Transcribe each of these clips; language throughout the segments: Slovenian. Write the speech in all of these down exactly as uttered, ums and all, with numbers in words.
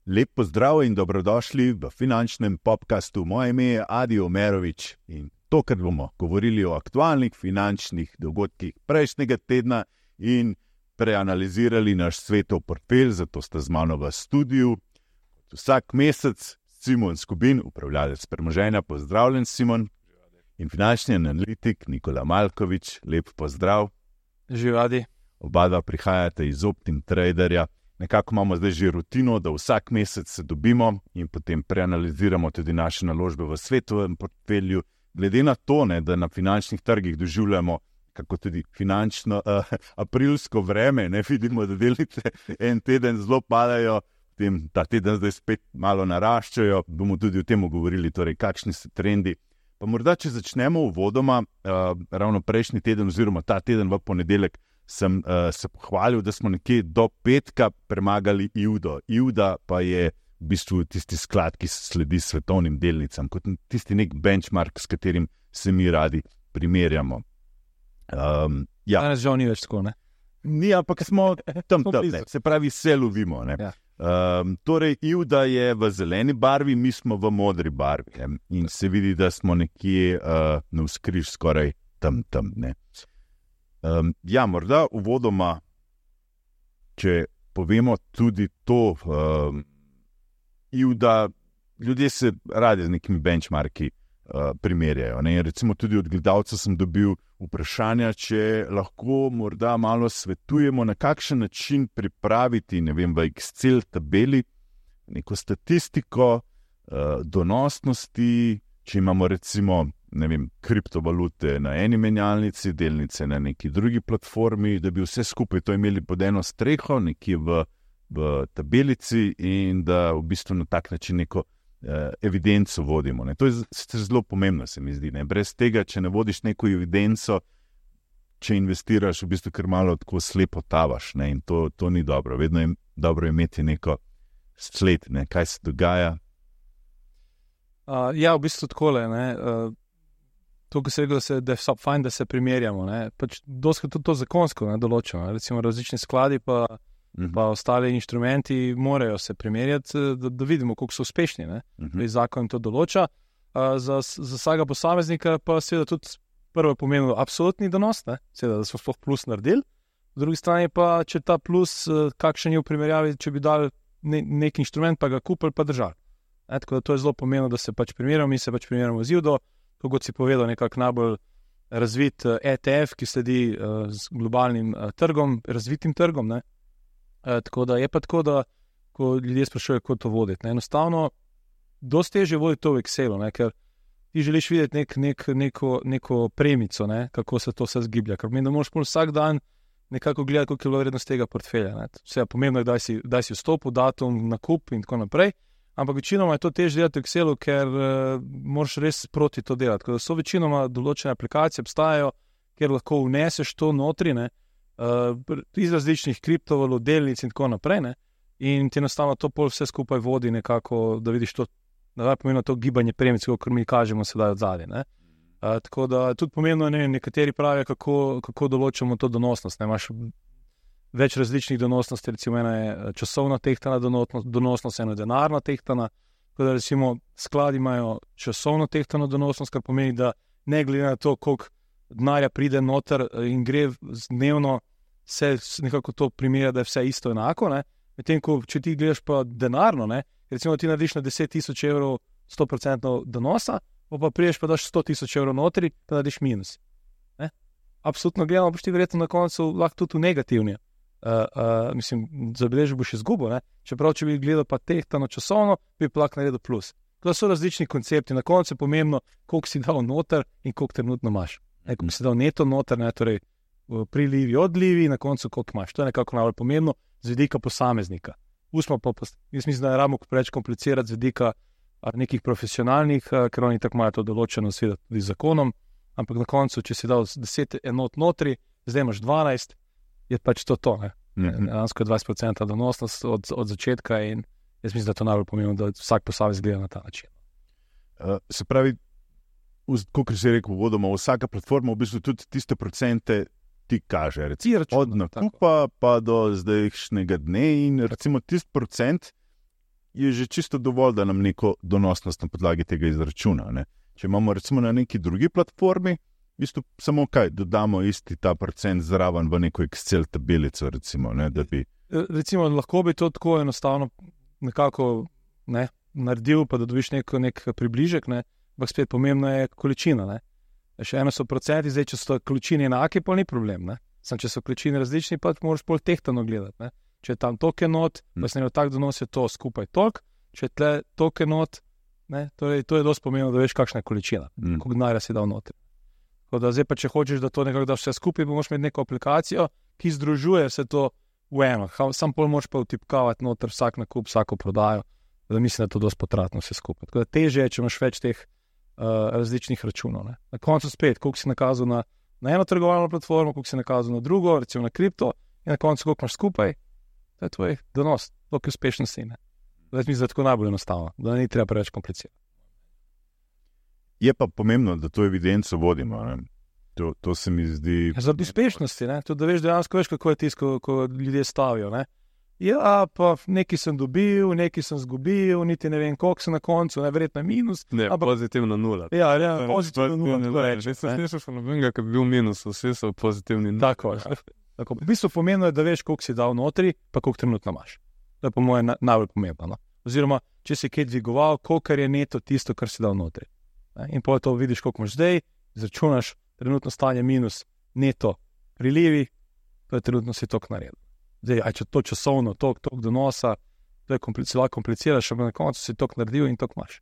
Lep pozdrav in dobrodošli v finančnem podcastu. Moje ime je Adi Omerovič in tokrat bomo govorili o aktualnih finančnih dogodkih prejšnjega tedna in preanalizirali naš svetov portfelj, zato sta z mano v studiu. Vsak mesec Simon Skubin, upravljalec premoženja, pozdravljen Simon, in finančni analitik Nikola Malkovič, lep pozdrav. Živadi. Oba dva prihajate iz Optim Traderja. Nekako imamo zdaj že rutino, da vsak mesec se dobimo in potem preanaliziramo tudi naše naložbe v svetovem portfelju. Glede na to, ne, da na finančnih trgih doživljamo kako tudi finančno uh, aprilsko vreme, ne vidimo, da delnice en teden zelo padajo, potem ta teden zdaj spet malo naraščajo. Bomo tudi o tem govorili, torej kakšni so trendi. Pa morda, če začnemo uvodoma, uh, ravno prejšnji teden oziroma ta teden v ponedeljek sem uh, se pohvalil, da smo nekje do petka premagali I U D O. I U D A pa je v bistvu tisti sklad, ki sledi svetovnim delnicam, kot tisti nek benchmark, s katerim se mi radi primerjamo. Um, ja. Danes žal ni več tako, ne? Ni, ampak smo tam, tam ne. Se pravi, se lovimo. Ne? Ja. Um, torej, I U D A je v zeleni barvi, mi smo v modri barvi, ne? In se vidi, da smo nekje uh, navzkriž skoraj tam, tam. Ne? Um, ja, morda uvodoma, če povemo tudi to, um, I U D A, ljudje se radi z nekimi benchmarki uh, primerjajo. Ne? Recimo tudi od gledalcev sem dobil vprašanja, če lahko morda malo svetujemo, na kakšen način pripraviti, ne vem, v Excel tabeli neko statistiko uh, donosnosti, če imamo recimo, ne vem, kriptovalute na eni menjalnici, delnice na neki drugi platformi, da bi vse skupaj to imeli pod eno streho, nekje v, v tabelici in da v bistvu na tak način neko uh, evidenco vodimo. Ne. To je zelo pomembno, se mi zdi. Ne. Brez tega, če ne vodiš neko evidenco, če investiraš, v bistvu kar malo tako slepo tavaš, ne. In to, to ni dobro. Vedno je dobro imeti neko sled, ne, kaj se dogaja. Uh, ja, v bistvu takole, ne. Uh, to, ko se rekel, da, se, da je fajn, da se primerjamo, ne. Pač doskrat tudi to zakonsko, ne, določeno. Recimo različni skladi pa, uh-huh. pa ostali inštrumenti morajo se primerjati, da, da vidimo, koliko so uspešni, ne. Uh-huh. Zakon to določa. Uh, za, za vsakega posameznika pa seveda tudi prvo pomenilo absolutni donos, ne. Seveda, da smo sploh plus naredili. V drugi strani pa, če ta plus, kakšen je v primerjavi, če bi dali ne, nek inštrument, pa ga kupili, pa držali. E, tako da to je zelo pomembno, da se pač primerjamo, mi se pač primerjamo z I U D O, kot si povedal, nekako najbolj razvit E T F, ki sledi uh, z globalnim uh, trgom, razvitim trgom. Ne? E, tako da je pa tako, da ko ljudje sprašujejo, kako to voditi. Ne? Enostavno, dosti težje voditi to v Excelu, ne? Ker ti želiš videti nek, nek, neko, neko premico, ne? Kako se to vse zgiblja. Ker pomeni, da moraš vsak dan nekako gledati, koliko je bilo vrednost tega portfelja. Ne? Vse je pomembno, da si, da si vstopil, datum, nakup in tako naprej. Ampak večinoma je to težje delati v Excelu, ker uh, moraš res proti to delati. Ker so večinoma določene aplikacije obstajajo, kjer lahko vneseš to notri, ne, uh, iz različnih kriptovalut, delnic in tako naprej. Ne, in ti enostavno to pol vse skupaj vodi nekako, da vidiš to, da je pomembno to gibanje premic, kot mi kažemo sedaj od zadaj. Ne. Uh, tako da tudi pomembno, ne, nekateri pravijo, kako, kako določamo to donosnost. Ne, imaš več različnih donosnosti, recimo ena je časovna tehtana donosnost, ena je denarna tehtana, tako da recimo skladi imajo časovno tehtano donosnost, kar pomeni, da ne glede na to, koliko denarja pride noter in gre dnevno, se nekako to primerja, da je vse isto enako, ne. Medtem ko, če ti gledaš pa denarno, ne, recimo ti narediš na deset tisoč evrov sto procentov donosa, pa priješ pa daš sto tisoč evrov notri, pa narediš minus. Ne. Absolutno gledamo, boš ti verjetno na koncu lahko tudi v negativni. Uh, uh, mislim, zabeležil boš izgubo, ne? Čeprav, če bi gledal pa tehtano časovno, bi pa lahko naredil plus. To so različni koncepti, na koncu je pomembno, koliko si dal noter in koliko trenutno imaš. Ne, koliko si dal neto noter, ne, torej prilivi, odlivi, na koncu koliko imaš. To je nekako najbolj pomembno z vidika posameznika. Usmo pa, jaz mislim, da ne rabimo preveč komplicirati z vidika nekih profesionalnih, ker oni tako imajo to določeno seveda tudi z zakonom, ampak na koncu, če si dal deset enot notri, zdaj imaš dvanajst, je pač to to, ne. Dejansko je dvajset procentov donosnost od, od začetka in jaz mislim, da je to najbolj pomembno, da vsak posameznik gleda na ta način. Uh, se pravi, kot si rekel uvodoma, vsaka platforma v bistvu tudi tiste procente ti kaže. Ti Recimo, računa, od nakupa pa do zdajšnjega dne in recimo tisti procent je že čisto dovolj, da nam neko donosnost na podlagi tega izračuna. Ne? Če imamo recimo na neki drugi platformi, v bistvu samo kaj, dodamo isti ta procent zraven v neko Excel tabelico, recimo, ne, da bi... Recimo, lahko bi to tako enostavno nekako ne, naredil, pa da dobiš nek, nek približek, ne, ampak spet pomembna je količina. Ne. Še eno so procenti, zdaj, če so količine enake, pa ni problem. Ne. Sam, če so količine različni, pa moraš bolj tehtano gledati. Ne. Če je tam toliko enot, hmm. pa se ne tak donos je to skupaj toliko, če je tle toliko enot, ne, torej, to je dosti pomembno, da veš, kakšna je količina, hmm. koliko denarja si dal notri. Da zdaj pa, če hočeš, da to nekako daš vse skupaj, pa moraš imeti neko aplikacijo, ki združuje vse to v eno. Sam pol moraš pa vtipkavati noter vsak nakup, vsako prodajo, da mislim, da je to dosti potratno vse skupaj. Tako da teže je, če imaš več teh uh, različnih računov. Ne. Na koncu spet, koliko si nakazal na, na eno trgovalno platformo, koliko si nakazal na drugo, recimo na kripto, in na koncu koliko imaš skupaj, to je tvoj donos, toliko uspešnosti. Ne. Zdaj mislim, da je tako najbolj enostavno, da ni treba preveč komplicirati. Je pa pomembno, da to evidenco vodimo. Ne? To, to se mi zdi... Zaradi uspešnosti, ne? Tudi da veš dejansko, veš, kako je tisto, ko, ko ljudje stavijo. Ne? Ja, pa nekaj sem dobil, nekaj sem zgubil, niti ne vem, koliko sem na koncu, najverjetno minus. Ne, ampak... pozitivno nula. Ja, ja, pozitivno nula. Ne, ne, ne, ne, ne, še nobenega, ki bi bil minus, vsi so pozitivni nula. Tako, tako. V bistvu pomembno je, da veš, koliko si dal notri, pa koliko trenutno imaš. To je po mojem na, najbolj pomembno. No? Oziroma, če si kaj dvigoval, koliko je neto tisto, kar si dal notri. In pa to vidiš, koliko imaš zdaj, izračunaš trenutno stanje minus neto prilivi, to je trenutno si tok naredil. Zdaj, aj če to časovno, tok, tok donosa, to je komplicirano, kompliciraš, ampak na koncu si tok naredil in tok imaš.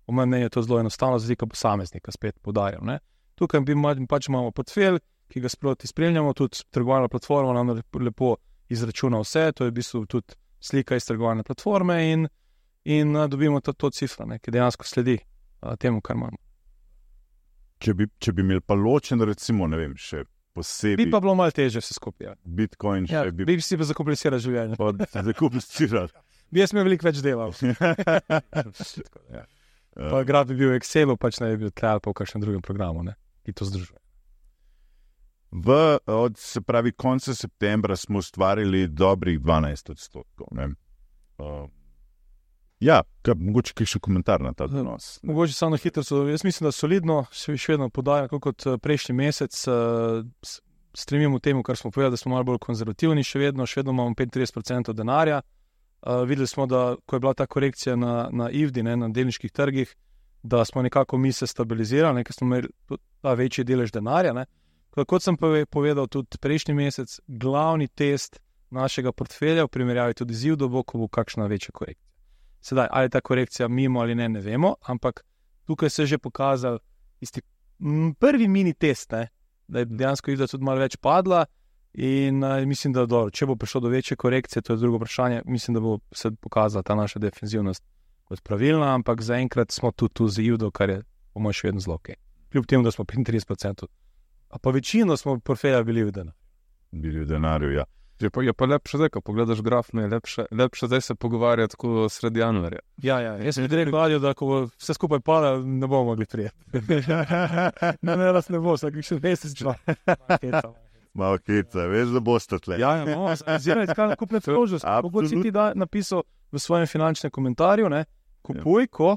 Po mojem mnenju je to zelo enostavno, zdaj, ko posameznika spet podarjam. Ne? Tukaj bi pač imamo portfelj, ki ga sproti spremljamo, tudi trgovalna platforma nam lepo izračuna vse, to je v bistvu tudi slika iz trgovalne platforme in, in dobimo to, to cifra, ne, ki dejansko sledi temu, kar imamo. Če bi, če bi imeli pa ločen, recimo, ne vem, še posebej... Bi pa bilo malo teže vse skupaj. Ja. Bitcoin še ja, bi... Bi si pa zakompliciral življenje. Pa zakompliciral. Bi jaz imel veliko več delal. ja. Pa grad bi bil v Excelu, pač ne bi bil tle ali pa v kakšnem drugem programu, ne, ki to združuje. V, od, se pravi, konca septembra smo ustvarili dobrih dvanajst odstotkov, ne. Uh, Ja, kaj, mogoče kaj še komentar na ta donos. Mogoče samo na hitro, so, jaz mislim, da solidno še vedno podajo, kot prejšnji mesec, uh, stremimo temu, kar smo povedali, da smo malo bolj konzervativni, še vedno, še vedno imamo petintrideset procentov denarja. Uh, videli smo, da ko je bila ta korekcija na, na I V D I, ne, na delniških trgih, da smo nekako mi se stabilizirali, ker smo imeli ta večji delež denarja. Ne. Kot sem povedal tudi prejšnji mesec, glavni test našega portfelja v primerjavi tudi z I V D I bo, ko bo kakšna večja korekcija. Sedaj, ali je ta korekcija mimo ali ne, ne vemo, ampak tukaj se je že pokazal isti m, prvi mini test, ne, da je dejansko I V D I tudi malo več padla in uh, mislim, da dobro, če bo prišlo do večje korekcije, to je drugo vprašanje, mislim, da bo se pokazala ta naša defenzivnost kot pravilna, ampak zaenkrat smo tu, tu z I V D I, kar je po mojem še vedno zelo ok. Kljub temu, da smo petintrideset procentov, a pa večino smo portfelja bili v denarju. Bili v denarju, ja. Je pa, je pa lepše zdaj, ko pogledaš graf, ne, lepše, lepše zdaj se pogovarjati tako sredi januarja. Ja, ja, jaz sem direkt gledal, da ko vse skupaj pada, ne bomo mogli prijeti. ne, ne, nas ne bo, vsak še mesec čla. Malo keca, veš, da boste tle. Ja, ja, no, ziraj, kaj nakupne priložnosti. Kako si ti da napisal v svojem finančnem komentarju, ne, kupuj, ko...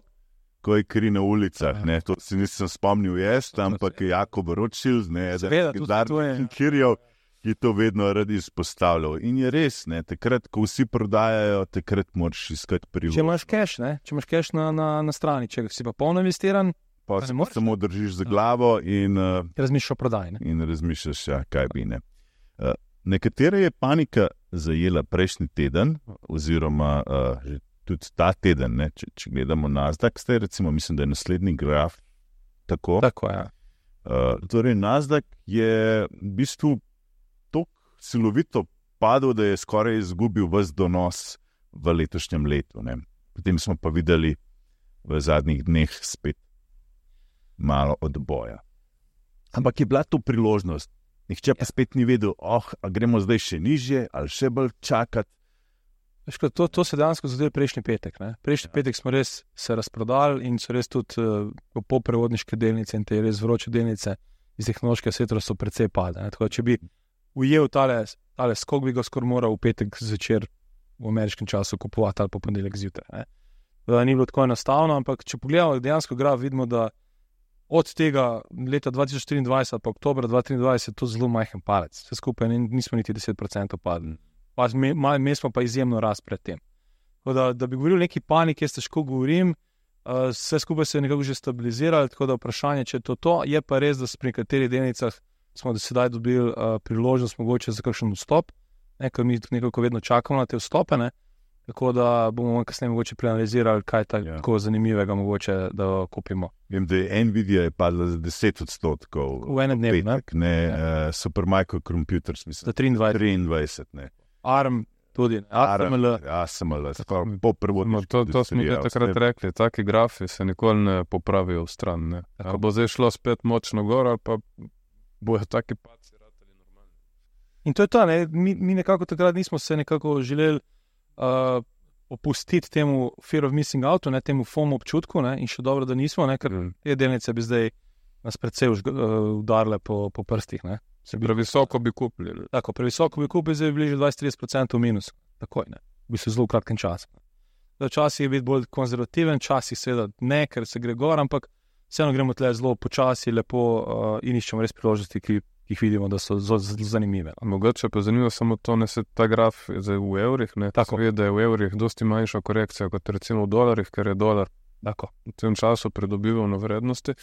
Ko je kri na ulicah, ne, to si nisem spomnil jaz, ampak je Jakob Rothschild, ne, Seveda, da je Kirjev, ki to vedno radi izpostavljal. In je res, ne, takrat, ko vsi prodajajo, takrat moraš iskati priložnost. Če imaš cash, ne, če imaš cash na, na, na strani, če si pa polno investiran, pa se samo držiš za glavo in... Uh, razmišljaš o prodaji, ne. In razmišljaš, ja, kaj bi, ne. Uh, nekatere je panika zajela prejšnji teden, oziroma uh, že tudi ta teden, ne, če, če gledamo Nasdaq, zdaj recimo, mislim, da je naslednji graf tako. Tako, ja. Uh, torej, Nasdaq je v bistvu silovito padel, da je skoraj izgubil ves donos v letošnjem letu. Ne. Potem smo pa videli v zadnjih dneh spet malo odboja. Ampak je bila to priložnost. Nihče pa spet ni vedel, oh, a gremo zdaj še nižje ali še bolj čakati. To, to se dejansko zgodilo prejšnji petek. Ne. Prejšnji ja. petek smo res se razprodali in so res tudi uh, poprevodniške delnice in te res vroče delnice iz tehnološkega sektorja so precej padle. Tako da če bi ujel tale, tale skok, bi ga skoraj moral v petek zvečer v ameriškem času kupovati ali pa ponedeljek zjutraj. Da ni bilo tako enostavno, ampak če pogledamo dejansko graf, vidimo, da od tega leta dva tisoč triindvajset pa oktobra dva tisoč triindvajset je to zelo majhen palec. Vse skupaj nismo niti deset procentov padli. Pa mi smo pa izjemno rast pred tem. Da, da bi govoril o neki paniki, jaz težko govorim, uh, vse skupaj se je nekako že stabiliziralo, tako da vprašanje, če je to to, je pa res, da pri nekaterih delnicah smo do sedaj dobili uh, priložnost mogoče za kakšen vstop, ne, ker mi nekako vedno čakamo na te vstope, ne, tako da bomo kasneje mogoče preanalizirali, kaj je tako ja. zanimivega mogoče, da kupimo. Vem, da je Nvidia je padla za deset odstotkov. V enem dnevu, ne? ne ja. uh, Supermicro Computers, mislim. Za triindvajset. triindvajset, ne. ARM tudi, ne? A S M L. A S M L, po prvo. To, to smo že takrat rekli, taki grafi se nikoli ne popravijo v stran, ne. Ali bo zdaj šlo spet močno gor, ali pa bojo taki paci ratali normalni. In to je to, ne? Mi, mi nekako takrat nismo se nekako želeli Uh, opustiti temu fear of missing out, ne, temu FOMO občutku, ne, in še dobro, da nismo, ne, ker mm. te delnice bi zdaj nas predvsej uh, udarile po, po prstih. Ne. Se bi previsoko bi kupili. Tako, previsoko bi kupili, zdaj bi bili že dvajset do trideset procentov minus. Takoj, ne, v bistvu zelo kratkem času. Včasih je biti bolj konzervativen, včasih seveda ne, ker se gre gor, ampak vseeno gremo tle zelo počasi, lepo uh, in iščemo res priložnosti, ki jih vidimo, da so zelo zanimive. Mogoče pa zanimivo samo to, ne se ta graf zdaj v evrih, ne, tako ve, da je v evrih dosti manjša korekcija kot recimo v dolarjih, ker je dolar tako v tem času pridobival na vrednosti.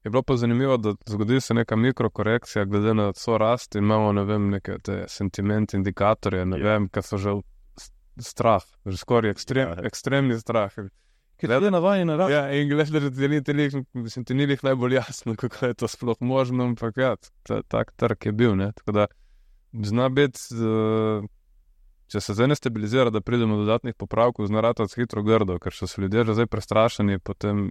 Je bilo pa zanimivo, da zgodi se neka mikrokorekcija glede na so rast in imamo, ne vem, neke te sentiment indikatorje, ne ja. vem, kaj so že strah, že skoraj ekstrem, ja. ekstremni strah. Glede na vajni naravni. Ja, in glede, da ti ni jih najbolj jasno, kako je to sploh možno, ampak ja, tak trg je bil, ne, tako da zna biti, če se zdaj ne stabilizira, da pridemo do dodatnih popravkov, zna ratati hitro grdo, ker so se ljudje že zdaj prestrašeni, potem...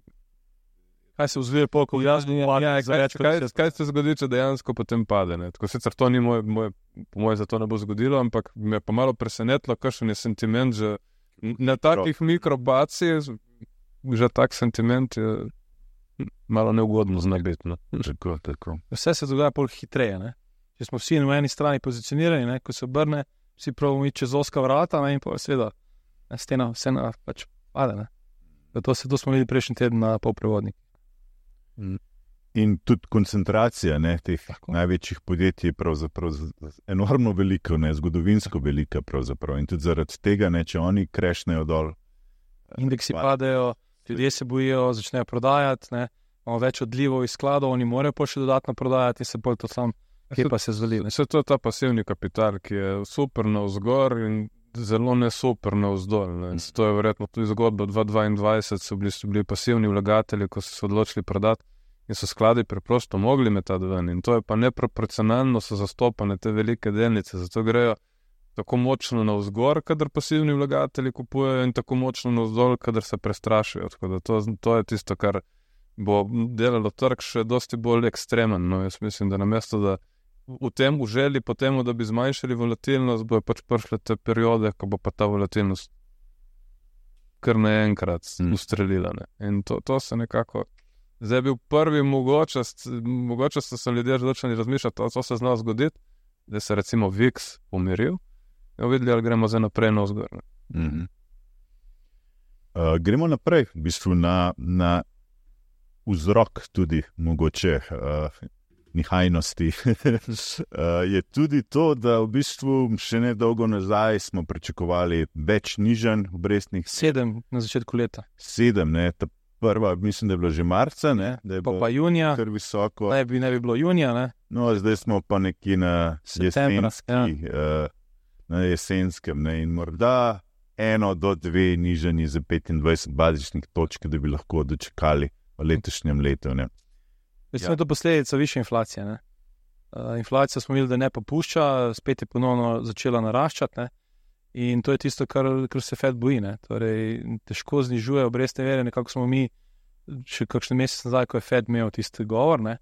Kaj se vzvije polko v jasni? Ja, ja, kaj, kaj, kaj se zgodi, če dejansko potem pade, ne, tako sicer to ni moj, moj, po moje za to ne bo zgodilo, ampak me je pa malo presenetilo, kakšen je sentiment, že na takih mikrobaci, že tak sentiment je malo neugodno zna biti. No. Tako, tako. Vse se dogaja pol hitreje. Ne? Če smo vsi na eni strani pozicionirani, ne? Ko se obrne, vsi pravimo iti čez oska vrata, ne? In pa seveda stena vse na, pač pade. Ne? To, se, to smo videli prejšnji teden na polprevodnik. Mm. In tudi koncentracija ne, teh tako. največjih podjetij je pravzaprav enormno velika, ne, zgodovinsko velika pravzaprav. In tudi zaradi tega, ne, če oni krešnejo dol. Indeksi pa... padejo, ljudje se bojijo, začnejo prodajati, ne, imamo več odlivov iz skladov, oni morajo pa še dodatno prodajati in se bolj to sam, kje pa se zvali. Vse to je ta pasivni kapital, ki je super navzgor in zelo ne super navzdol. Ne. Mm. To je verjetno tudi zgodba dva tisoč dvaindvajset, so bili, so bili pasivni vlagatelji, ko so se odločili prodati. In so skladi preprosto mogli metati ven. In to je pa neproporcionalno so zastopane te velike delnice. Zato grejo tako močno navzgor, kadar pasivni vlagatelji kupujejo, in tako močno navzdol, kadar se prestrašijo. Tako da to, to je tisto, kar bo delalo trg še dosti bolj ekstremen. No, jaz mislim, da namesto, da v tem v želji po temu, da bi zmanjšali volatilnost, bojo pač prišle te periode, ko bo pa ta volatilnost kar naenkrat mm. ustrelila. Ne. In to, to se nekako... Zdaj je bil prvi, mogoče, mogoče so se ljudje začeli razmišljati, to se zna zgoditi, da se recimo V I X umiril in videli, ali gremo zdaj naprej na vzgor. Mm-hmm. Uh, gremo naprej, v bistvu na, na vzrok tudi mogoče uh, nihajnosti. uh, je tudi to, da v bistvu še nedolgo nazaj smo pričakovali več nižanj obrestnih. Sedem na začetku leta. Sedem, ne, ta prva, mislim, da je bilo že marca, ne? Da je pa pa junija, kar visoko. Ne bi, ne bi bilo junija, ne? No, zdaj smo pa nekje na jesenski, ja. uh, na jesenskem, ne? In morda eno do dve nižanje za petindvajset bazičnih točk, da bi lahko dočekali v letošnjem letu, ne? Mislim, ja. To posledica više inflacije, ne? Uh, inflacija smo videli, da ne popušča, spet je ponovno začela naraščati, ne? In to je tisto, kar, kar se Fed boji. Ne? Torej, težko znižuje obrestne mere, nekako smo mi še kakšen mesec nazaj, ko je Fed imel tisti govor, ne?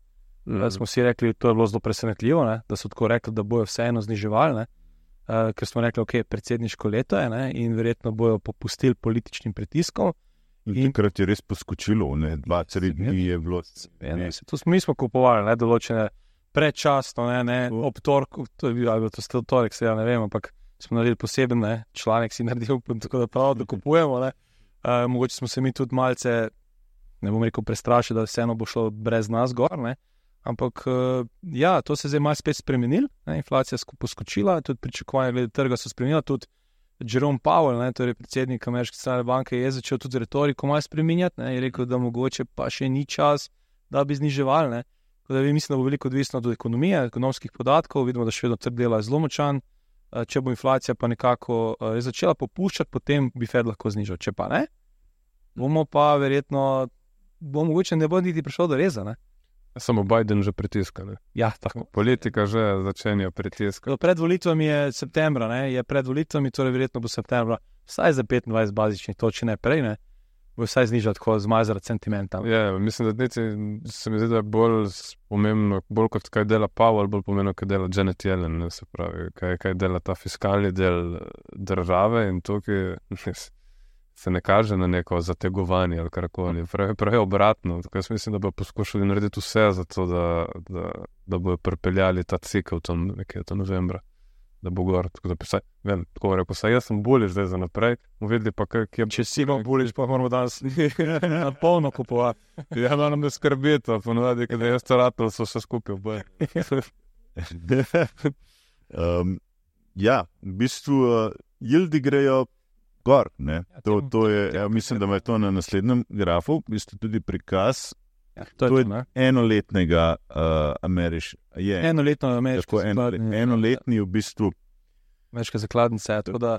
Mm. Smo si rekli, to je bilo zelo presenetljivo, ne? Da so tako rekli, da bojo vseeno zniževali, ne? Uh, ker smo rekli, ok, predsedniško leto je, ne? In verjetno bojo popustili političnim pritiskom. In, in takrat je res poskočilo, ne? Dva, tri dni je bilo. Ne, to smo mi smo kupovali, ne? Določene predčasno, ne, ne, ob torku, to je bil, ali to ste v torek, se ja ne vem, ampak smo naredili poseben, ne, članek si naredil, tako da prav, da kupujemo, ne. Uh, mogoče smo se mi tudi malce, ne bom rekel prestrašili, da vseeno bo šlo brez nas gor, ne. Ampak uh, ja, to se zdaj malo spet spremenil, ne, inflacija poskočila, tudi pričakovanja glede trga so spremenila, tudi Jerome Powell, ne, torej predsednik Ameriške centralne banke, je začel tudi retoriko malo spreminjati, ne, je rekel, da mogoče pa še ni čas, da bi zniževali, ne. Tako da vi mislim, da bo veliko odvisno od ekonomije, ekonomskih podatkov, vidimo, da še vedno trg dela je zelo močan, če bo inflacija pa nekako uh, začela popuščati, potem bi Fed lahko znižal, če pa ne, bomo pa verjetno, bo mogoče ne bo niti prišlo do reza, ne. Samo Biden že pritiska, ne? Ja, tako. Politika že začenja pritiska. Pred volitvami je septembra, ne, je pred volitvami, torej verjetno bo septembra, vsaj za petindvajset bazičnih točk, ne prej, ne, bo vsaj znižal tako zmazarati sentimenta. Ja, mislim, da niti se mi zdi, da je bolj pomembno, bolj kot kaj dela Powell, bolj pomembno, kaj dela Janet Yellen, ne, se pravi, kaj, kaj dela ta fiskalni del države in tukaj se ne kaže na neko zategovanje ali karkoli, pravi, pravi obratno. Tako jaz mislim, da bo poskušali narediti vse za to, da, da, da bojo pripeljali ta cikl tam nekaj do novembra, da bo gor. Tako da pisaj, vem, tako rekel, saj jaz sem buliš zdaj za naprej, bomo videli pa, kaj je... Če si bom buliš, pa moramo danes na polno kupovati. Ja, da nam ne skrbito, ponovadi, kada jaz to ratel, so vse skupaj v boje. um, ja, v bistvu uh, jildi grejo gor, ne. To, to je, ja, mislim, da je to na naslednjem grafu, v bistvu tudi prikaz, ja, to je, to je to, enoletnega uh, ameriš... Je, enoletno ameriško zakladnice. En, enoletni v bistvu... Ameriška zakladnica, tako da...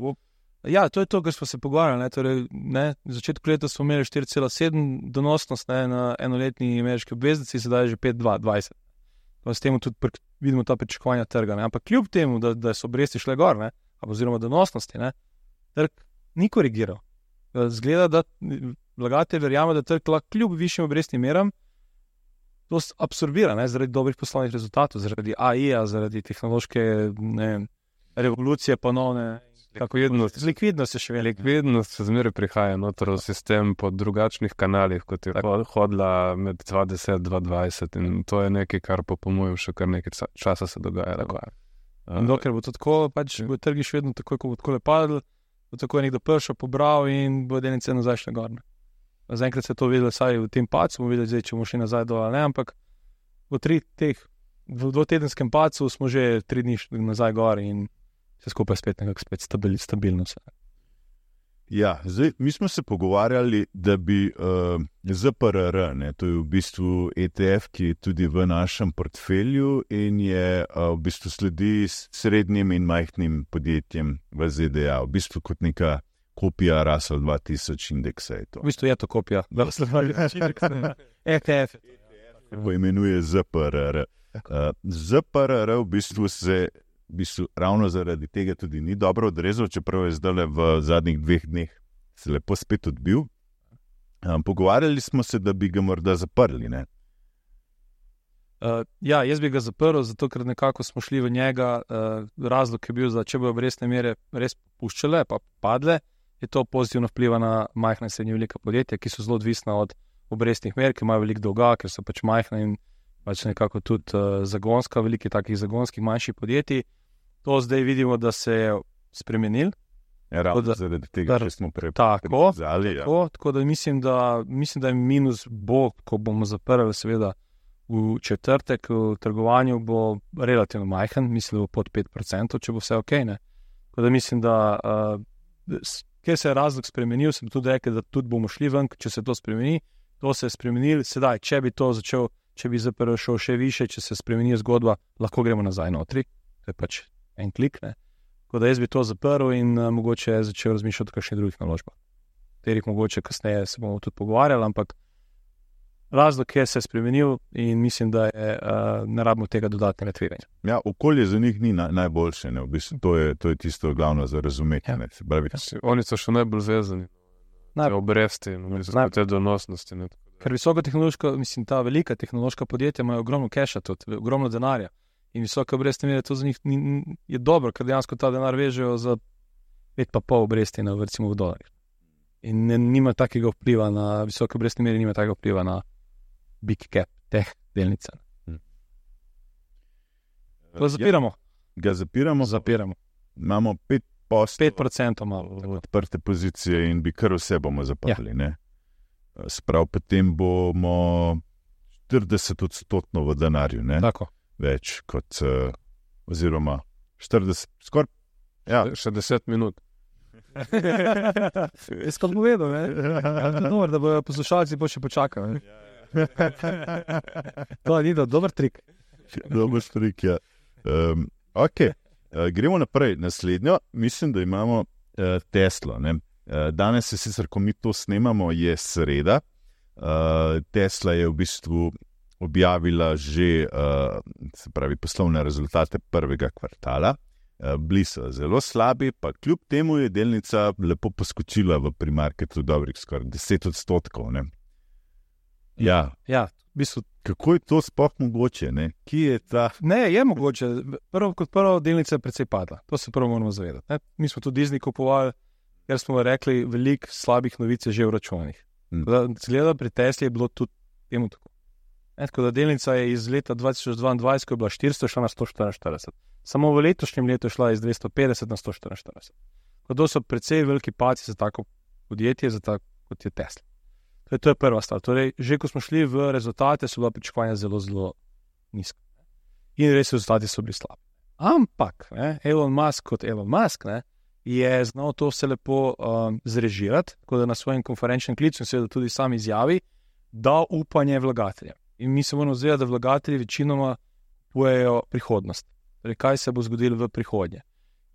Ja, to je to, kar smo se pogovarjali, ne, torej, ne, v začetku leta smo imeli štiri cela sedem donosnost, ne, na enoletni ameriški obveznici, sedaj je že pet cela dvajset. S tem tudi pr- vidimo ta pričakovanja trga, ne, ampak kljub temu, da, da so obresti šle gor, ne, oziroma donosnosti, ne, trg ni korigiral. Zgleda, da vlagatelj verjame, da trg lahko kljub višjim obrestnim meram to absorbira, ne, zaradi dobrih poslovnih rezultatov, zaradi A I-ja, zaradi tehnološke, ne, revolucije ponovne. Likvidnost. Likvidnost je še veliko. Likvidnost se zmeraj prihaja noter v sistem po drugačnih kanalih, kot je tako hodila med dvajset do dvajset in to je nekaj, kar po mojem še kar nekaj časa se dogaja. Tako je. In dokler bo to tako, pač bo trgi še vedno tako, ko bo tako padlo, bo tako nekdo prišel, pobral in bo delnice nazaj šle gor. Zaenkrat se je to videlo vsaj v tem padcu, bomo videli zdaj, če bomo šli nazaj dol, ne, ampak v tri teh, v dvotedenskem padcu smo že tri dni šli nazaj gor in se skupaj spet nekako spet stabil, stabilno se. Ja, zdaj, mi smo se pogovarjali, da bi uh, Z P R R, ne, to je v bistvu E T F, ki je tudi v našem portfelju in je uh, v bistvu sledi srednjim in majhnim podjetjem v Z D A, v bistvu kot neka kopija Russell dva tisoč indeksa je to. V bistvu je to kopija Russell dva tisoč indeksa. E T F. Poimenuje Z P R R. Uh, Z P R R v bistvu se v bistvu ravno zaradi tega tudi ni dobro odrezal, čeprav je zdaj v zadnjih dveh dneh se lepo spet odbil. Um, pogovarjali smo se, da bi ga morda zaprli, ne? Uh, ja, jaz bi ga zaprl, zato ker nekako smo šli v njega. Uh, razlog je bil, da če bojo obrestne mere res popuščale, pa padle, je to pozitivno vpliva na majhna in srednje velika podjetja, ki so zelo odvisna od obrestnih mer, ki imajo veliko dolga, ker so pač majhna in pač nekako tudi uh, zagonska, velikih takih zagonskih manjših podjetij. To zdaj vidimo, da se je spremenil. Ja, ravno da, zaradi tega, če smo prej tako, prezali. Tako, ja. tako da mislim, da mislim, da je minus bo, ko bomo zaprli seveda v četrtek, v trgovanju bo relativno majhen, mislim, da bo pod pet procentov, če bo vse ok, ne. Tako da mislim, da uh, ker se je razlog spremenil, sem tudi rekel, da tudi bomo šli ven, če se to spremeni. To se je spremenil, sedaj, če bi to začel, če bi Z P R R šel še više, če se spremeni zgodba, lahko gremo nazaj notri, to je pač en klik, ne. Tako da jaz bi to zaprl in uh, mogoče začel razmišljati o kakšnih drugih naložbah, katerih mogoče kasneje se bomo tudi pogovarjali, ampak razlog je se spremenil in mislim, da je, uh, ne rabimo tega dodatnega tveganja. Ja, okolje za njih ni na, najboljše, ne, v bistvu to je, to je tisto glavno za razumeti, ja. ne, se pravi. Oni so še najbolj vezani, Naj... te obresti, no, mislim, te donosnosti, ne. Ker visoko tehnološko, mislim, ta velika tehnološka podjetja imajo ogromno keša tudi, ogromno denarja. In visoke obrestne mere, to za njih ni, je dobro, ker dejansko ta denar vežejo za pet pa pol obresti na, recimo, v dolarjih. In ne, nima takega vpliva na visoke obrestne mere, nima takega vpliva na big cap teh delnice. Hmm. To zapiramo. Ja, ga zapiramo. Zapiramo. Imamo pet posto. pet procentov malo. Odprte pozicije in bi kar vse bomo zaprli. Ja. Sprav, potem bomo štirideset odstotno v denarju, ne? Tako. Več kot, oziroma štirideset, skoraj, ja. Še deset minut. Jaz kot povedal, ne? Dobar, da bojo poslušalci bo še počakali. To ni da, dober trik. Dober trik, ja. Um, ok, uh, gremo naprej. Naslednjo, mislim, da imamo uh, Teslo, ne? Uh, danes se sicer, ko mi to snemamo, je sreda. Uh, Tesla je v bistvu objavila že uh, se pravi, poslovne rezultate prvega kvartala. Uh, bili so zelo slabi, pa kljub temu je delnica lepo poskočila v primarketu dobrih skoraj deset odstotkov. Ne? Ja. Ja, v bistvu. Kako je to sploh mogoče? Ne? Kje je ta? Ne, je mogoče. Prvo kot prvo delnica je precej padla. To se prvo moramo zavedati. Ne? Mi smo tudi Disney kupovali, ker smo rekli, veliko slabih novic je že v računih. Hmm. Zgleda, pri Tesli je bilo tudi temu tako. Ne, tako da delnica je iz leta dva tisoč dvaindvajset, ko je bila štiristo, šla na sto štiriinštirideset. Samo v letošnjem letu je šla iz dvesto petdeset na sto štiriinštirideset. To so precej veliki padci za tako podjetje, za tako kot je Tesla. Torej, to je prva stvar. Torej, že ko smo šli v rezultate, so bila pričakovanja zelo, zelo nizka. In res rezultati so bili slabi. Ampak, ne, Elon Musk kot Elon Musk, ne, je znal to vse lepo um, zrežirati, tako da na svojem konferenčnem klicu in seveda tudi sam izjavi, da upanje vlagateljem. In mi se moramo zavedati, da vlagatelji večinoma kupujejo prihodnost. Torej, kaj se bo zgodilo v prihodnje.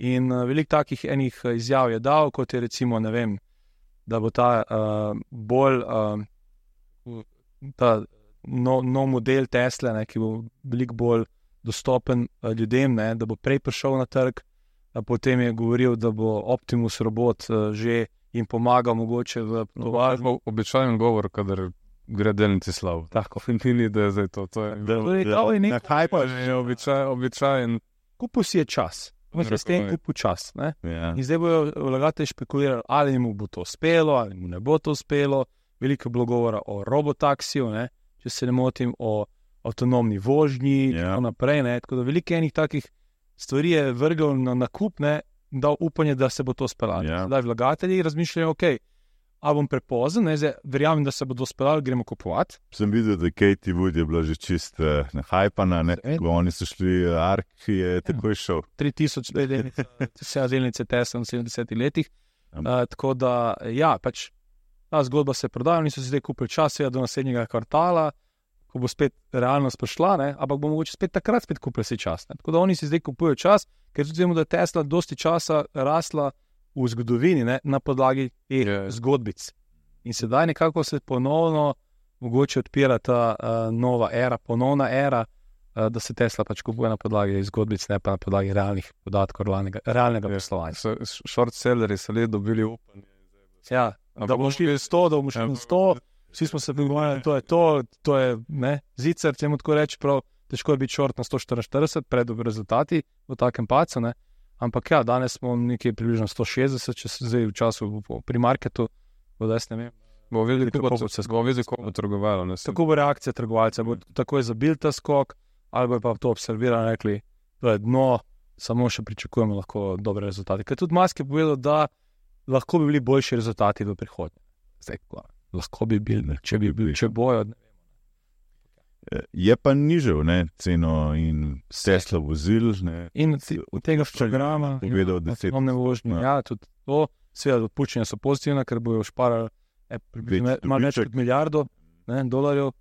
In uh, veliko takih enih izjav je dal, kot je recimo, ne vem, da bo ta uh, bolj uh, ta nov no model Tesla, ne, ki bo veliko bolj dostopen uh, ljudem, ne, da bo prej prišel na trg, a potem je govoril, da bo Optimus robot uh, že jim pomagal mogoče v tovarni. No, običajen govor, kadar gre delnici slabo. Tako. Ni, da je zdaj to. to je, da, torej, da, da, na kaj pa je običaj, običajen? Kupil si je čas. Se s tem kupil čas. Ne? Ja. In zdaj bojo vlagatelji špekulirali, ali mu bo to uspelo, ali mu ne bo to uspelo. Veliko je bilo govora o robotaksiju, ne? Če se ne motim, o avtonomni vožnji in ja. tako naprej. Ne? Tako da veliko enih takih stvari je vrgel na nakup, ne? Dal upanje, da se bo to speljalo. Ja. Zdaj vlagatelji razmišljajo, ok, a bom prepozen, ne? Zdaj verjamem, da se bo to speljalo, gremo kupovati. Sem videl, da Katie Wood je bila že čist uh, nahajpana, ne? Ko oni so šli, Ark je takoj šel. tri tisoč delnice, vse delnice Tesla v sedemdesetih letih. Uh, tako da, ja, pač ta zgodba se je prodajala, niso si zdaj kupili čas, do naslednjega kvartala, ko bo spet realnost prišla, ne? Ampak bo mogoče spet takrat spet kupili si čas. Ne? Tako da oni si zdaj kupujejo čas, ker tudi vemo, da je Tesla dosti časa rasla v zgodovini, ne? Na podlagi teh yeah. zgodbic. In sedaj nekako se ponovno mogoče odpira ta uh, nova era, ponovna era, uh, da se Tesla pač kupuje na podlagi zgodbic, ne pa na podlagi realnih podatkov, realnega, realnega poslovanja. Short sellerji so le dobili upanje. Ja, da bomo šli v sto, da bomo šli v sto, vsi smo se prigovarjali, to je to, to je, ne, zicer, če mu tako reči, prav težko je biti short na sto štiriinštirideset pred rezultati v takem pacu, ne, ampak ja, danes smo nekje približno sto šestdeset, če se zdaj v času pri marketu, bo da jaz ne vem. Bomo videli, kako bo trgovalo. Tako bo reakcija trgovalca, bo takoj zabil ta skok, ali bo pa to observirali, rekli, to je dno, samo še pričakujemo lahko dobre rezultate. Ker tudi Musk je povedal, da lahko bi bili boljši rezultati v prihodnje. Zdaj, lahko bi bili, če bi bili, če bojo. Je pa nižal, ne, ceno in Tesla vozil, ne. In od tega programa, povedal, da se avtonomne vožnje, ja, tudi to, seveda odpuščanja so pozitivna, ker bojo šparali malo več kot milijardo ne, dolarjev.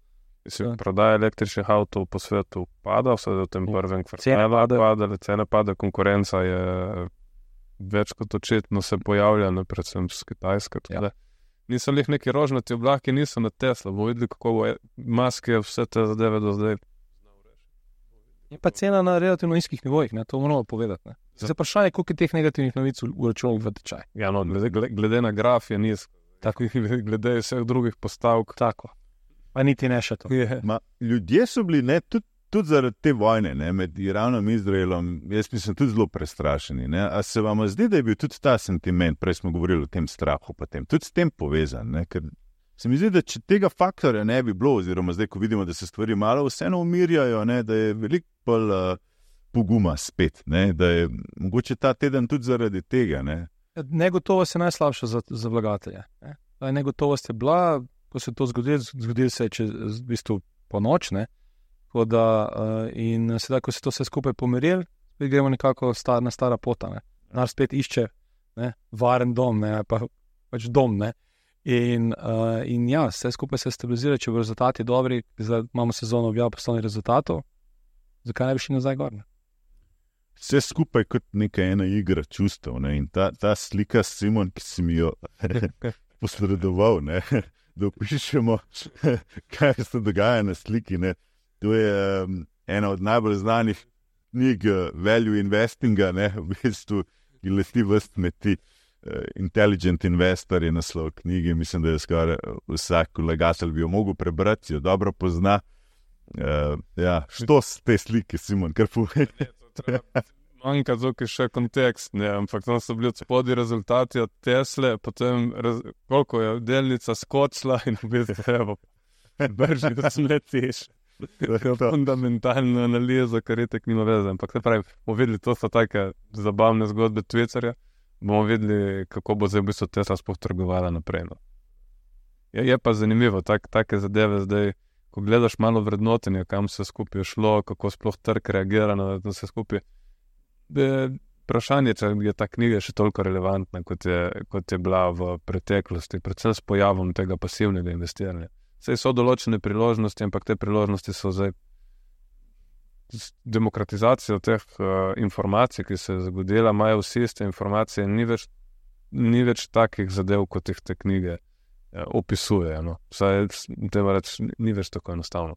Prodaja električnih avtov po svetu pada, vse v tem prvem kvartalu pada, cene pada, konkurenca je več kot očitno se pojavlja, ne, predvsem z Kitajske. Ja. Niso lih neki rožnati oblaki, niso na Tesla. Bo videli, kako bo Musk je vse te zadeve do zdaj. Je pa cena na relativno nizkih nivojih, ne, to moramo povedati. Ne. Zdaj vprašanje, koliko je teh negativnih novic uračunal v tečaj. Ja, no, glede, glede na graf je nizko. Tako, glede vseh drugih postavk. Tako. Pa niti ne še to. Ma, ljudje so bili, ne, tudi, tudi zaradi te vojne, ne, med Iranom in Izraelom, jaz mislim, tudi zelo prestrašeni. Ne. A se vam zdi, da je bil tudi ta sentiment, prej smo govorili o tem strahu, potem, tudi s tem povezan? Ne, ker se mi zdi, da če tega faktorja ne bi bilo, oziroma zdaj, ko vidimo, da se stvari malo vseeno umirjajo, ne, da je veliko bolj uh, poguma spet, ne, da je mogoče ta teden tudi zaradi tega. Ne. Negotovost je najslabša za, za vlagatelje. Ne. Negotovost je bila, ko se je to zgodilo, zgodilo se je čez, v bistvu po noč, ne. Da, in sedaj, ko se to vse skupaj pomirili, spet gremo nekako star, na stara pota. Ne. Nar spet išče ne, varen dom, ne, pa pač dom. Ne. In, uh, in ja, vse skupaj se stabilizira, če bo rezultati dobri, zdaj imamo sezono objavljeno poslovnih rezultatov, zakaj ne bi šli nazaj gor? Ne? Vse skupaj kot neka ena igra čustev. Ne? In ta, ta slika, Simon, ki si mi jo posredoval, ne? Da opišemo, kaj se dogaja na sliki. Ne? To je um, ena od najbolj znanih knjig value investinga, ne? V bistvu, ki leti vrst med ti. Intelligent Investor je naslov knjige, mislim, da je skoraj vsak vlagatelj bi jo mogel prebrati, jo dobro pozna. Uh, ja, što s te slike, Simon, kar povej? Manjka tukaj še kontekst, ne, ampak tam so bili od spodaj rezultati od Tesle, potem raz, koliko je delnica skočila in v bistvu evo, brži, da smletiš. Fundamentalna analiza, kar je tek nima veze. Ampak ne pravim, bomo videli, to so take zabavne zgodbe Twitterja, bomo videli, kako bo zdaj v bistvu Tesla sploh trgovala naprej. No. Je, je pa zanimivo, tak, take zadeve zdaj, ko gledaš malo vrednotenja, kam se skupaj šlo, kako sploh trg reagira na vse skupaj. Vprašanje, če je ta knjiga še toliko relevantna, kot je, kot je bila v preteklosti, predvsem s pojavom tega pasivnega investiranja. Saj so določene priložnosti, ampak te priložnosti so zdaj z demokratizacijo teh uh, informacij, ki se je zgodila, imajo vsi iste informacije, ni več, ni več takih zadev, kot jih te knjige uh, opisujejo. No. Vsaj, treba reči, ni več tako enostavno.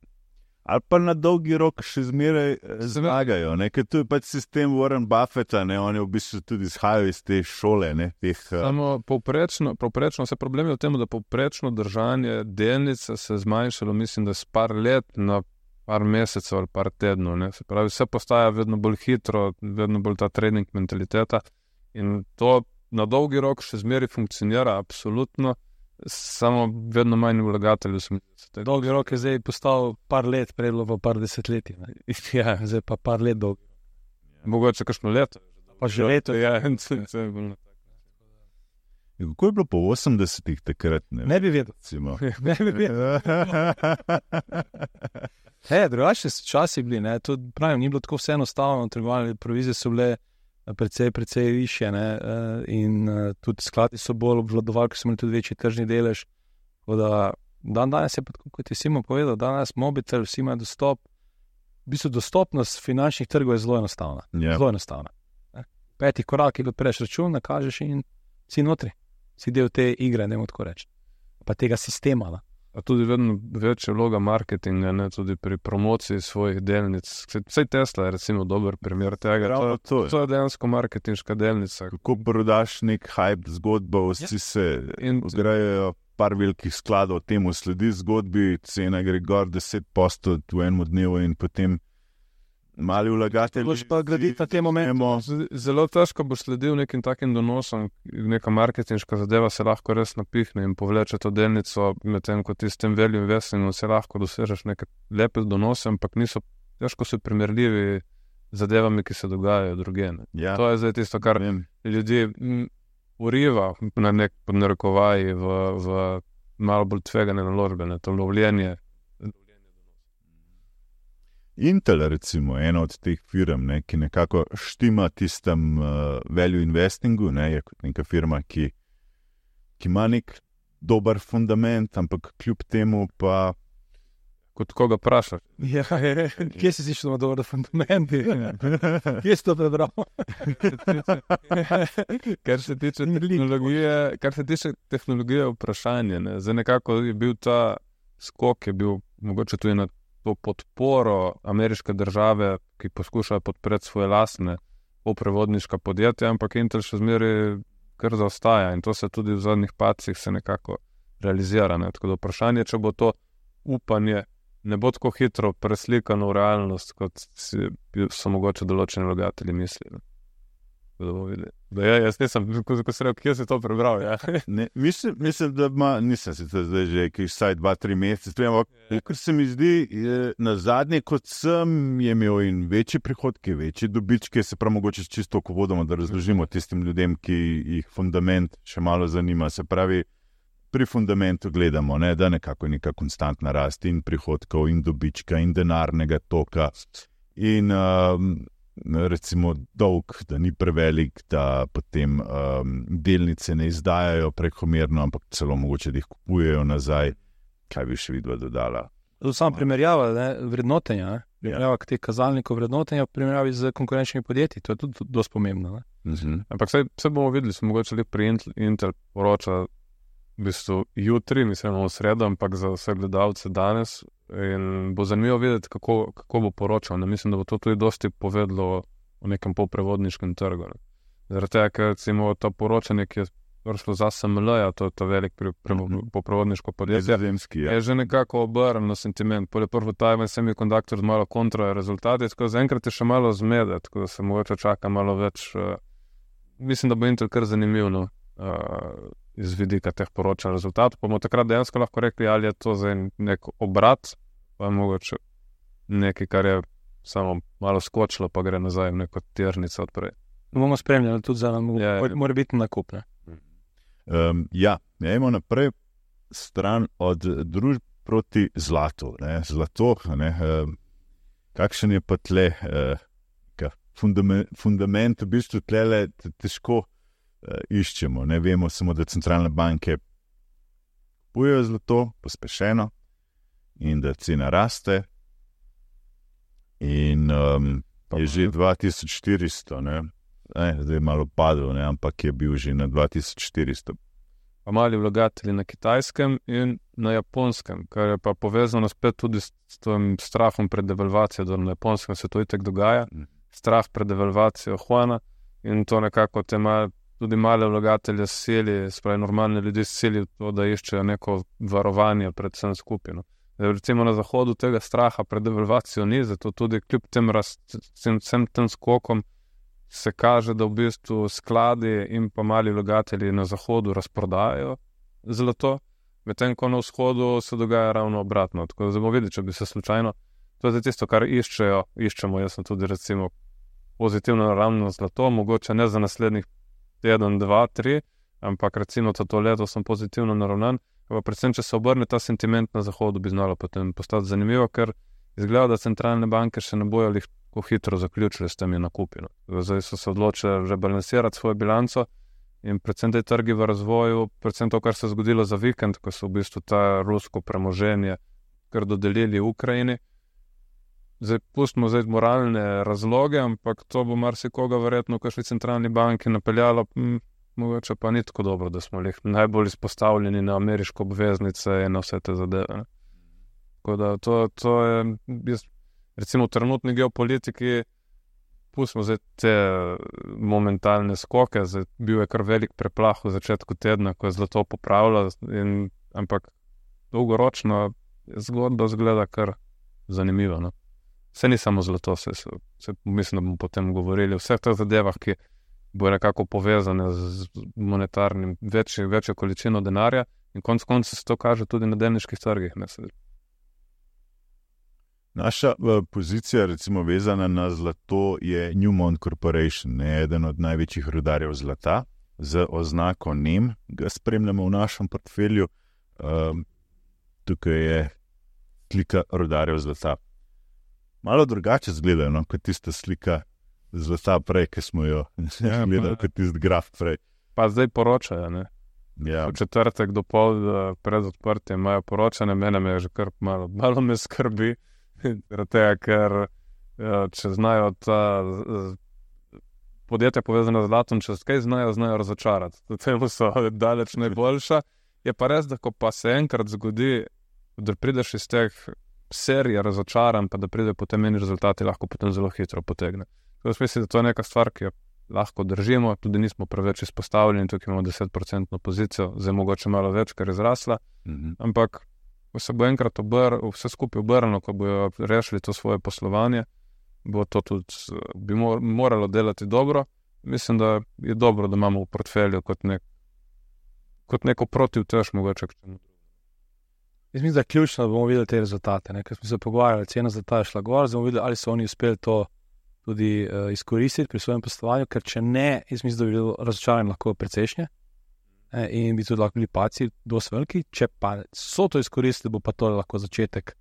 Ali pa na dolgi rok še zmeraj zmagajo, ne? Ker tu je pač sistem Warren Buffetta, ne? Oni v bistvu tudi izhajajo iz te šole. Ne? Teh, uh... Samo povprečno, povprečno, vse problem je v tem, da povprečno držanje delnice se je zmanjšalo, mislim, da s par let na par mesecev ali par tednov. Ne? Se pravi, vse postaja vedno bolj hitro, vedno bolj ta trading mentaliteta in to na dolgi rok še zmeraj funkcionira, absolutno, samo vedno manj vlagateljev. Dolgi rok je zdaj postal par let, prej bilo par desetletij. Ja, zdaj pa par let dolgi. Mogoče kakšno leto. Pa že leto. Ja, vse je bilo. Kako je bilo po osemdesetih takrat? Ne, ne bi vedel. Ne bi vedel. He, drugačni so časi bili, ne, to pravim, ni bilo tako vse enostavno, trgovalne provizije so bile precej, precej višje, ne, in tudi skladi so bolj obvladovali, ker so imeli tudi večji tržni delež, tako da dan danes je pa tako, kot je Simon povedal, danes mobitel, vsi imajo dostop, v bistvu dostopnost finančnih trgov je zelo enostavna, yeah. zelo enostavna. Ne. Peti korak, ki odpreš račun, nakažeš in si notri, si del te igre, ne morem tako reči, pa tega sistema, ne. A tudi vedno večja vloga marketinga, ne, tudi pri promociji svojih delnic. Vsej Tesla je recimo dober primer tega. To, to, je. to je dejansko marketinška delnica. Kako prodaš nek hype zgodbo, vsi ja. se vgrajajo par velikih skladov, temu sledi zgodbi, cena gre gor deset posto v enem dnevu in potem mali vlagatelji. Boš pa graditi na tem momentu. Zelo težko boš sledil nekim takim donosom, neka marketinška zadeva se lahko res napihne in povleče to delnico, medtem ko ti s tem value investingom se lahko dosežeš neke lepe donose, ampak niso težko so primerljivi zadevami, ki se dogajajo drugje. Ja. To je zdaj tisto, kar Vem. ljudi m, uriva na nek podnarekovaji v, v malo bolj tvegane naložbe, ne, to lovljenje. Intel, recimo, ena od teh firm, ne, ki nekako štima tistem uh, value investingu, ne, je kot neka firma, ki, ki ima nek dober fundament, ampak kljub temu pa... Kot koga prašaš? Ja, kje si si šel na dober fundament? Kje si to prebral? Kar se tiče tehnologije, kar se tiče tehnologije vprašanje, ne, zdaj nekako je bil ta skok, je bil mogoče tudi na to podporo ameriške države, ki poskušajo podpreti svoje lastne poprevodniška podjetja, ampak Intel še zmeraj kar zaostaja in to se tudi v zadnjih pacih se nekako realizira. Ne? Tako da vprašanje, če bo to upanje ne bo tako hitro preslikano v realnost, kot si, so mogoče določeni vlagatelji mislili. Da, ja, jaz nisem, ko, ko sem rekel, kje si to prebral. Ja. Ne, mislim, mislim, da ima, nisem se zdaj že vsaj dva, tri mesece, ampak ker se mi zdi, je, na zadnje, kot sem, je imel in večje prihodke, večje dobičke, se prav mogoče čisto ko vodoma, da razložimo tistim ljudem, ki jih fundament še malo zanima. Se pravi, pri fundamentu gledamo, ne, da nekako je neka konstantna rast in prihodkov in dobička in denarnega toka in um, recimo dolg, da ni prevelik, da potem um, delnice ne izdajajo prekomerno, ampak celo mogoče, da jih kupujejo nazaj. Kaj bi še vidva dodala? To samo primerjava, ne, vrednotenja, ne? Primerjava ja. Teh kazalnikov vrednotenja v primerjavi z konkurenčnimi podjetji, to je tudi dosti pomembno. Ne? Mhm. Ampak vse, vse bomo videli, smo mogoče le pri Intel, Intel poroča v bistvu jutri, mislim, v sredo, ampak za vse gledalce danes. In bo zanimivo videti, kako, kako bo poročal. Ne? Mislim, da bo to tudi dosti povedlo o nekem polprevodniškem trgu. Ne? Zaradi tega, ker recimo to poročanje, ki je prišlo za S M L-ja, to je to velik pri, pri, mm-hmm. polprevodniško podjetje, Zemski, ja. je že nekako obrnil na sentiment. Pole prvo Taiwan Semiconductor z malo kontra rezultati, tako zaenkrat je še malo zmede, tako da se mogoče čaka malo več. Uh, mislim, da bo Intel kar zanimiv, no? uh, iz vidika teh poročanj rezultatov, pa bomo takrat dejansko lahko rekli, ali je to za nek obrat, pa je mogoče nekaj, kar je samo malo skočilo, pa gre nazaj v neko tirnico odprej. Bomo spremljali tudi za nam, ja, ja. Mora biti nakup, ne? Um, ja, imamo naprej stran od družb proti zlatu. Ne? Zlato, ne? Um, kakšen je pa tle uh, fundament, fundament, v bistvu tle težko Uh, iščemo. Ne vemo samo, da centralne banke kupujejo zlato pospešeno in da cena raste in um, je že dva tisoč štiristo, ne? Ne, zdaj je malo padel, ne? Ampak je bil že na dva tisoč štiristo. Pa mali vlagatelji na Kitajskem in na Japonskem, kar je pa povezano spet tudi s, s tem strahom pred devalvacijo, da na Japonskem se to itek dogaja, mm. strah pred devalvacijo Huana in to nekako te malo tudi male vlagatelje sili, spravi normalne ljudi sili v to, da iščejo neko varovanje pred vsem skupino. Recimo na zahodu tega straha pred devalvacijo ni, zato tudi kljub tem, rast, tem, tem skokom se kaže, da v bistvu skladi in pa mali vlagatelji na zahodu razprodajajo zlato, medtem ko na vzhodu se dogaja ravno obratno. Tako da bomo videli, če bi se slučajno, to je tisto, kar iščejo, iščemo, jaz sem tudi recimo pozitivno naravno zlato, mogoče ne za naslednjih teden, dva, tri, ampak recimo za to leto sem pozitivno naravnan, pa predvsem, če se obrne ta sentiment na zahodu, bi znalo potem postati zanimivo, ker izgleda, da centralne banke še ne bojo lahko hitro zaključili s temi nakupi. No. Zdaj so se odločili rebalansirati svojo bilanco in predvsem te trgi v razvoju, predvsem to, kar se je zgodilo za vikend, ko so v bistvu ta rusko premoženje kar dodelili Ukrajini. Zdaj, pustimo zdaj moralne razloge, ampak to bo marsikoga verjetno v kakšni centralni banki napeljalo, hm, mogoče pa ni tako dobro, da smo najbolj izpostavljeni na ameriško obveznice in na vse te zadeve. Ne? Tako da to, to je, jaz, recimo v trenutni geopolitiki, pustimo zdaj te momentalne skoke, zdaj bil je kar velik preplah v začetku tedna, ko je zlato popravilo, in, ampak dolgoročno zgodba zgleda kar zanimivo. No? Vse ni samo zlato, vse, vse, mislim, da bomo potem govorili o vseh teh zadevah, ki bo nekako povezane z monetarnim, večjo, večjo količino denarja in konec konca se to kaže tudi na delniških trgih. Ne? Naša uh, pozicija, recimo vezana na zlato, je Newmont Corporation, ne, eden od največjih rudarjev zlata, z oznako N E M, ga spremljamo v našem portfelju. Um, tukaj je slika rudarjev zlata. Malo drugače zgledajo, no, kot tista slika zlata prej, ki smo jo ja, gledali, kot tisti graf prej. Pa zdaj poročajo, ne? Ja. V četrtek do pol pred odprtjem imajo poročanje, mene me je že kar malo, malo me skrbi, tega, ker če znajo ta podjetja povezana z zlatom, če kaj znajo, znajo razočarati. Temu so daleč najboljša. Je pa res, da ko pa se enkrat zgodi, da prideš iz teh serije razočaran, pa da pride potem meni rezultati, lahko potem zelo hitro potegne. Tako mislim, da to je neka stvar, ki jo lahko držimo, tudi nismo preveč izpostavljeni, tukaj imamo deset procentno pozicijo, zdaj mogoče malo več, ker je zrasla, mm-hmm. ampak ko se bo enkrat obr, vse skupaj obrnilo, ko bojo rešili to svoje poslovanje, bo to tudi, bi moralo delati dobro mislim, da je dobro, da imamo v portfelju kot, nek, kot neko protivtež mogoče. Jaz mislim, da je ključno, da bomo videli te rezultate. Ne? Ker smo se pogovarjali, cena zlata je šla gor, zdaj bomo videli, ali so oni uspeli to tudi uh, izkoristiti pri svojem poslovanju, ker če ne, jaz mislim, da bi bilo razočaranje lahko precejšnje eh, in bi tudi lahko bili paci dosti veliki. Če pa so to izkoristili, bo pa to lahko začetek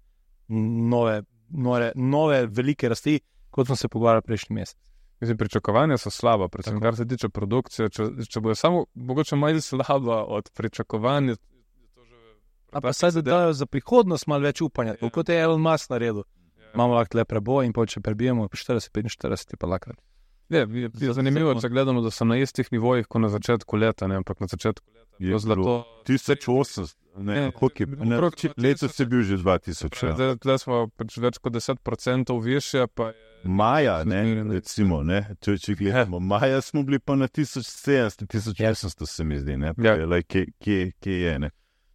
nove, nove, nove velike rasti, kot smo se pogovarjali prejšnji mesec. Mislim, pričakovanja so slaba, predvsem Tako. kar se tiče produkcije. Če, če bojo samo mogoče malo slaba od pričakovanja, A pa saj dajo za prihodnost malo več upanja, ja. Kot je Elon Musk naredil. Ja. Imamo lahko le preboj in pol, če prebijemo po štirideset petinštirideset, pa lahko. Je, je, je zanimivo, če gledamo, da so na istih nivojih, kot na začetku leta, ne, ampak na začetku leta Je je zlato. tisoč osemsto, ne, Ne, koliko je, ne, okrog dva tisoč. letos je bil že dva tisoč. Ja. Zdaj, zdaj smo pač več kot deset procentov više, pa je Maja, ne, Zmerno. recimo, ne, če, če gledamo, maja smo bili pa na tisoč sedemsto, tisoč osemsto se mi zdi, ne, Ja. ja. lej, kje, kje, kje je, ne.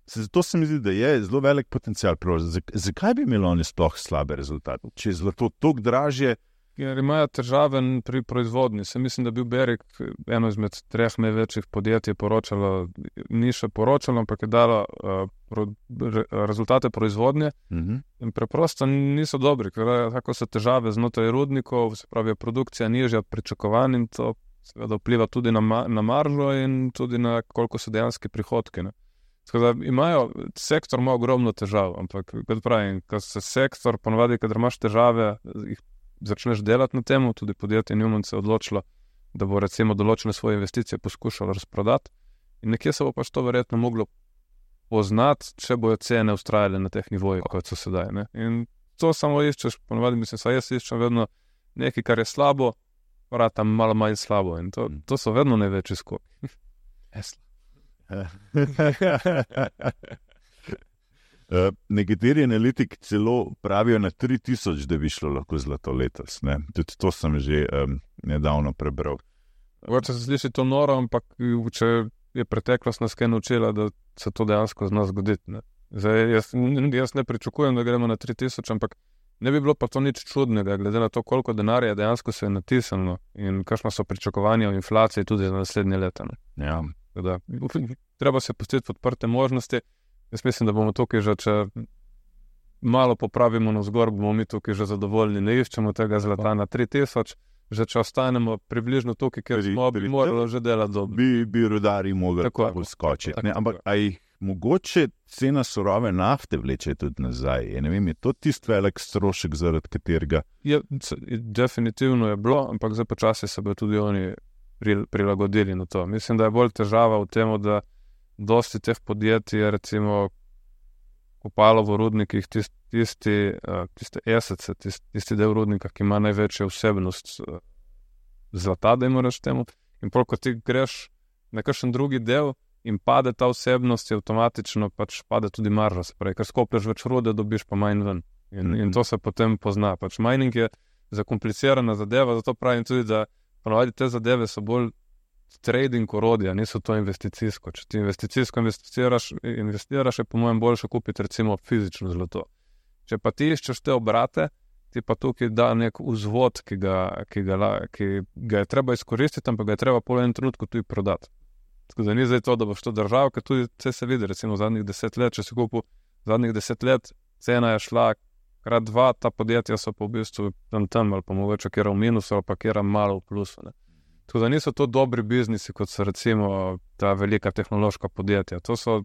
Se, zato se mi zdi, da je zelo velik potencial. Zak, zakaj bi imeli oni sploh slabe rezultate? Če je zlato toliko dražje, Ker imajo težave pri proizvodnji. Se mislim, da je bil Berik eno izmed treh največjih podjetij poročalo, ni še poročalo, ampak je dalo uh, pro, re, rezultate proizvodnje uh-huh. in preprosto niso dobri, ker tako so težave znotraj rudnikov, se pravi, je produkcija nižja od pričakovanj in to seveda vpliva tudi na, ma, na maržo in tudi na koliko so dejanski prihodki. Ne. Tako da imajo, sektor ima ogromno težav, ampak kot pravim, ko se sektor, ponovadi, kadar imaš težave, jih začneš delati na temu, tudi podjetje Newman se je odločilo, da bo recimo določene svoje investicije poskušalo razprodati in nekje se bo pač to verjetno moglo poznati, če bojo cene ustrajale na teh nivojih, kot so sedaj. Ne? In to samo iščeš, ponovadi mislim, saj jaz iščem vedno nekaj, kar je slabo, vrata malo manj slabo in to, to so vedno največji skoki. Esla. Uh, nekateri analitiki celo pravijo na tri tisoč, da bi šlo lahko zlato letos. Ne? Tudi to sem že um, nedavno prebral. Mogoče se sliši to noro, ampak če je preteklost nas kaj naučila, da se to dejansko zna zgoditi. Ne? Zdaj, jaz, jaz ne pričakujem, da gremo na tri tisoč, ampak ne bi bilo pa to nič čudnega, glede na to, koliko denarja dejansko se je natisnilo in kakšna so pričakovanja o inflaciji tudi za naslednje leta. Ne? Ja. Da, treba se pustiti odprte možnosti. Jaz mislim, da bomo tukaj že, če malo popravimo navzgor, bomo mi tukaj že zadovoljni. Ne iščemo tega zlata na tri tisoč, že če ostanemo približno tukaj, ker Pri- smo bi pri- morali že delati dobro. Bi, bi rodari mogli Tako je. tako skočiti. Tako, Ne? Ampak tako a jih mogoče cena surove nafte vleče tudi nazaj? Je, ne vem, je to tisti velik strošek, zaradi katerega Je, c- definitivno je bilo, ampak zdaj počasi se bodo tudi oni pri- prilagodili na to. Mislim, da je bolj težava v tem, da dosti teh podjetij je recimo kopalo v rudnikih tist, tisti, uh, tiste esece, tist, tisti del rudnika, ki ima največjo vsebnost uh, zlata, da jim rečeš temu. In pol, ko ti greš na kakšen drugi del in pade ta vsebnost, je avtomatično pač pade tudi marža. Se pravi, ker skoplješ več rude, dobiš pa manj ven. In, in to se potem pozna. Pač mining je zakomplicirana zadeva, zato pravim tudi, da ponovadi te zadeve so bolj trading orodja, niso to investicijsko. Če ti investicijsko investiraš, investiraš, je po mojem boljše kupiti recimo fizično zlato. Če pa ti iščeš te obrate, ti pa tukaj da nek vzvod, ki ga, ki ga, la- ki ga je treba izkoristiti, ampak ga je treba po enem trenutku tudi prodati. Tako da ni zdaj to, da boš to držal, ker tudi vse se vidi, recimo zadnjih deset let, če si kupil zadnjih deset let, cena je šla krat dva, ta podjetja so pa v bistvu tam tam, ali pa mogoče kjera v minusu, ali pa kjera malo v plusu. Ne. Tako da niso to dobri biznisi, kot so recimo ta velika tehnološka podjetja. To so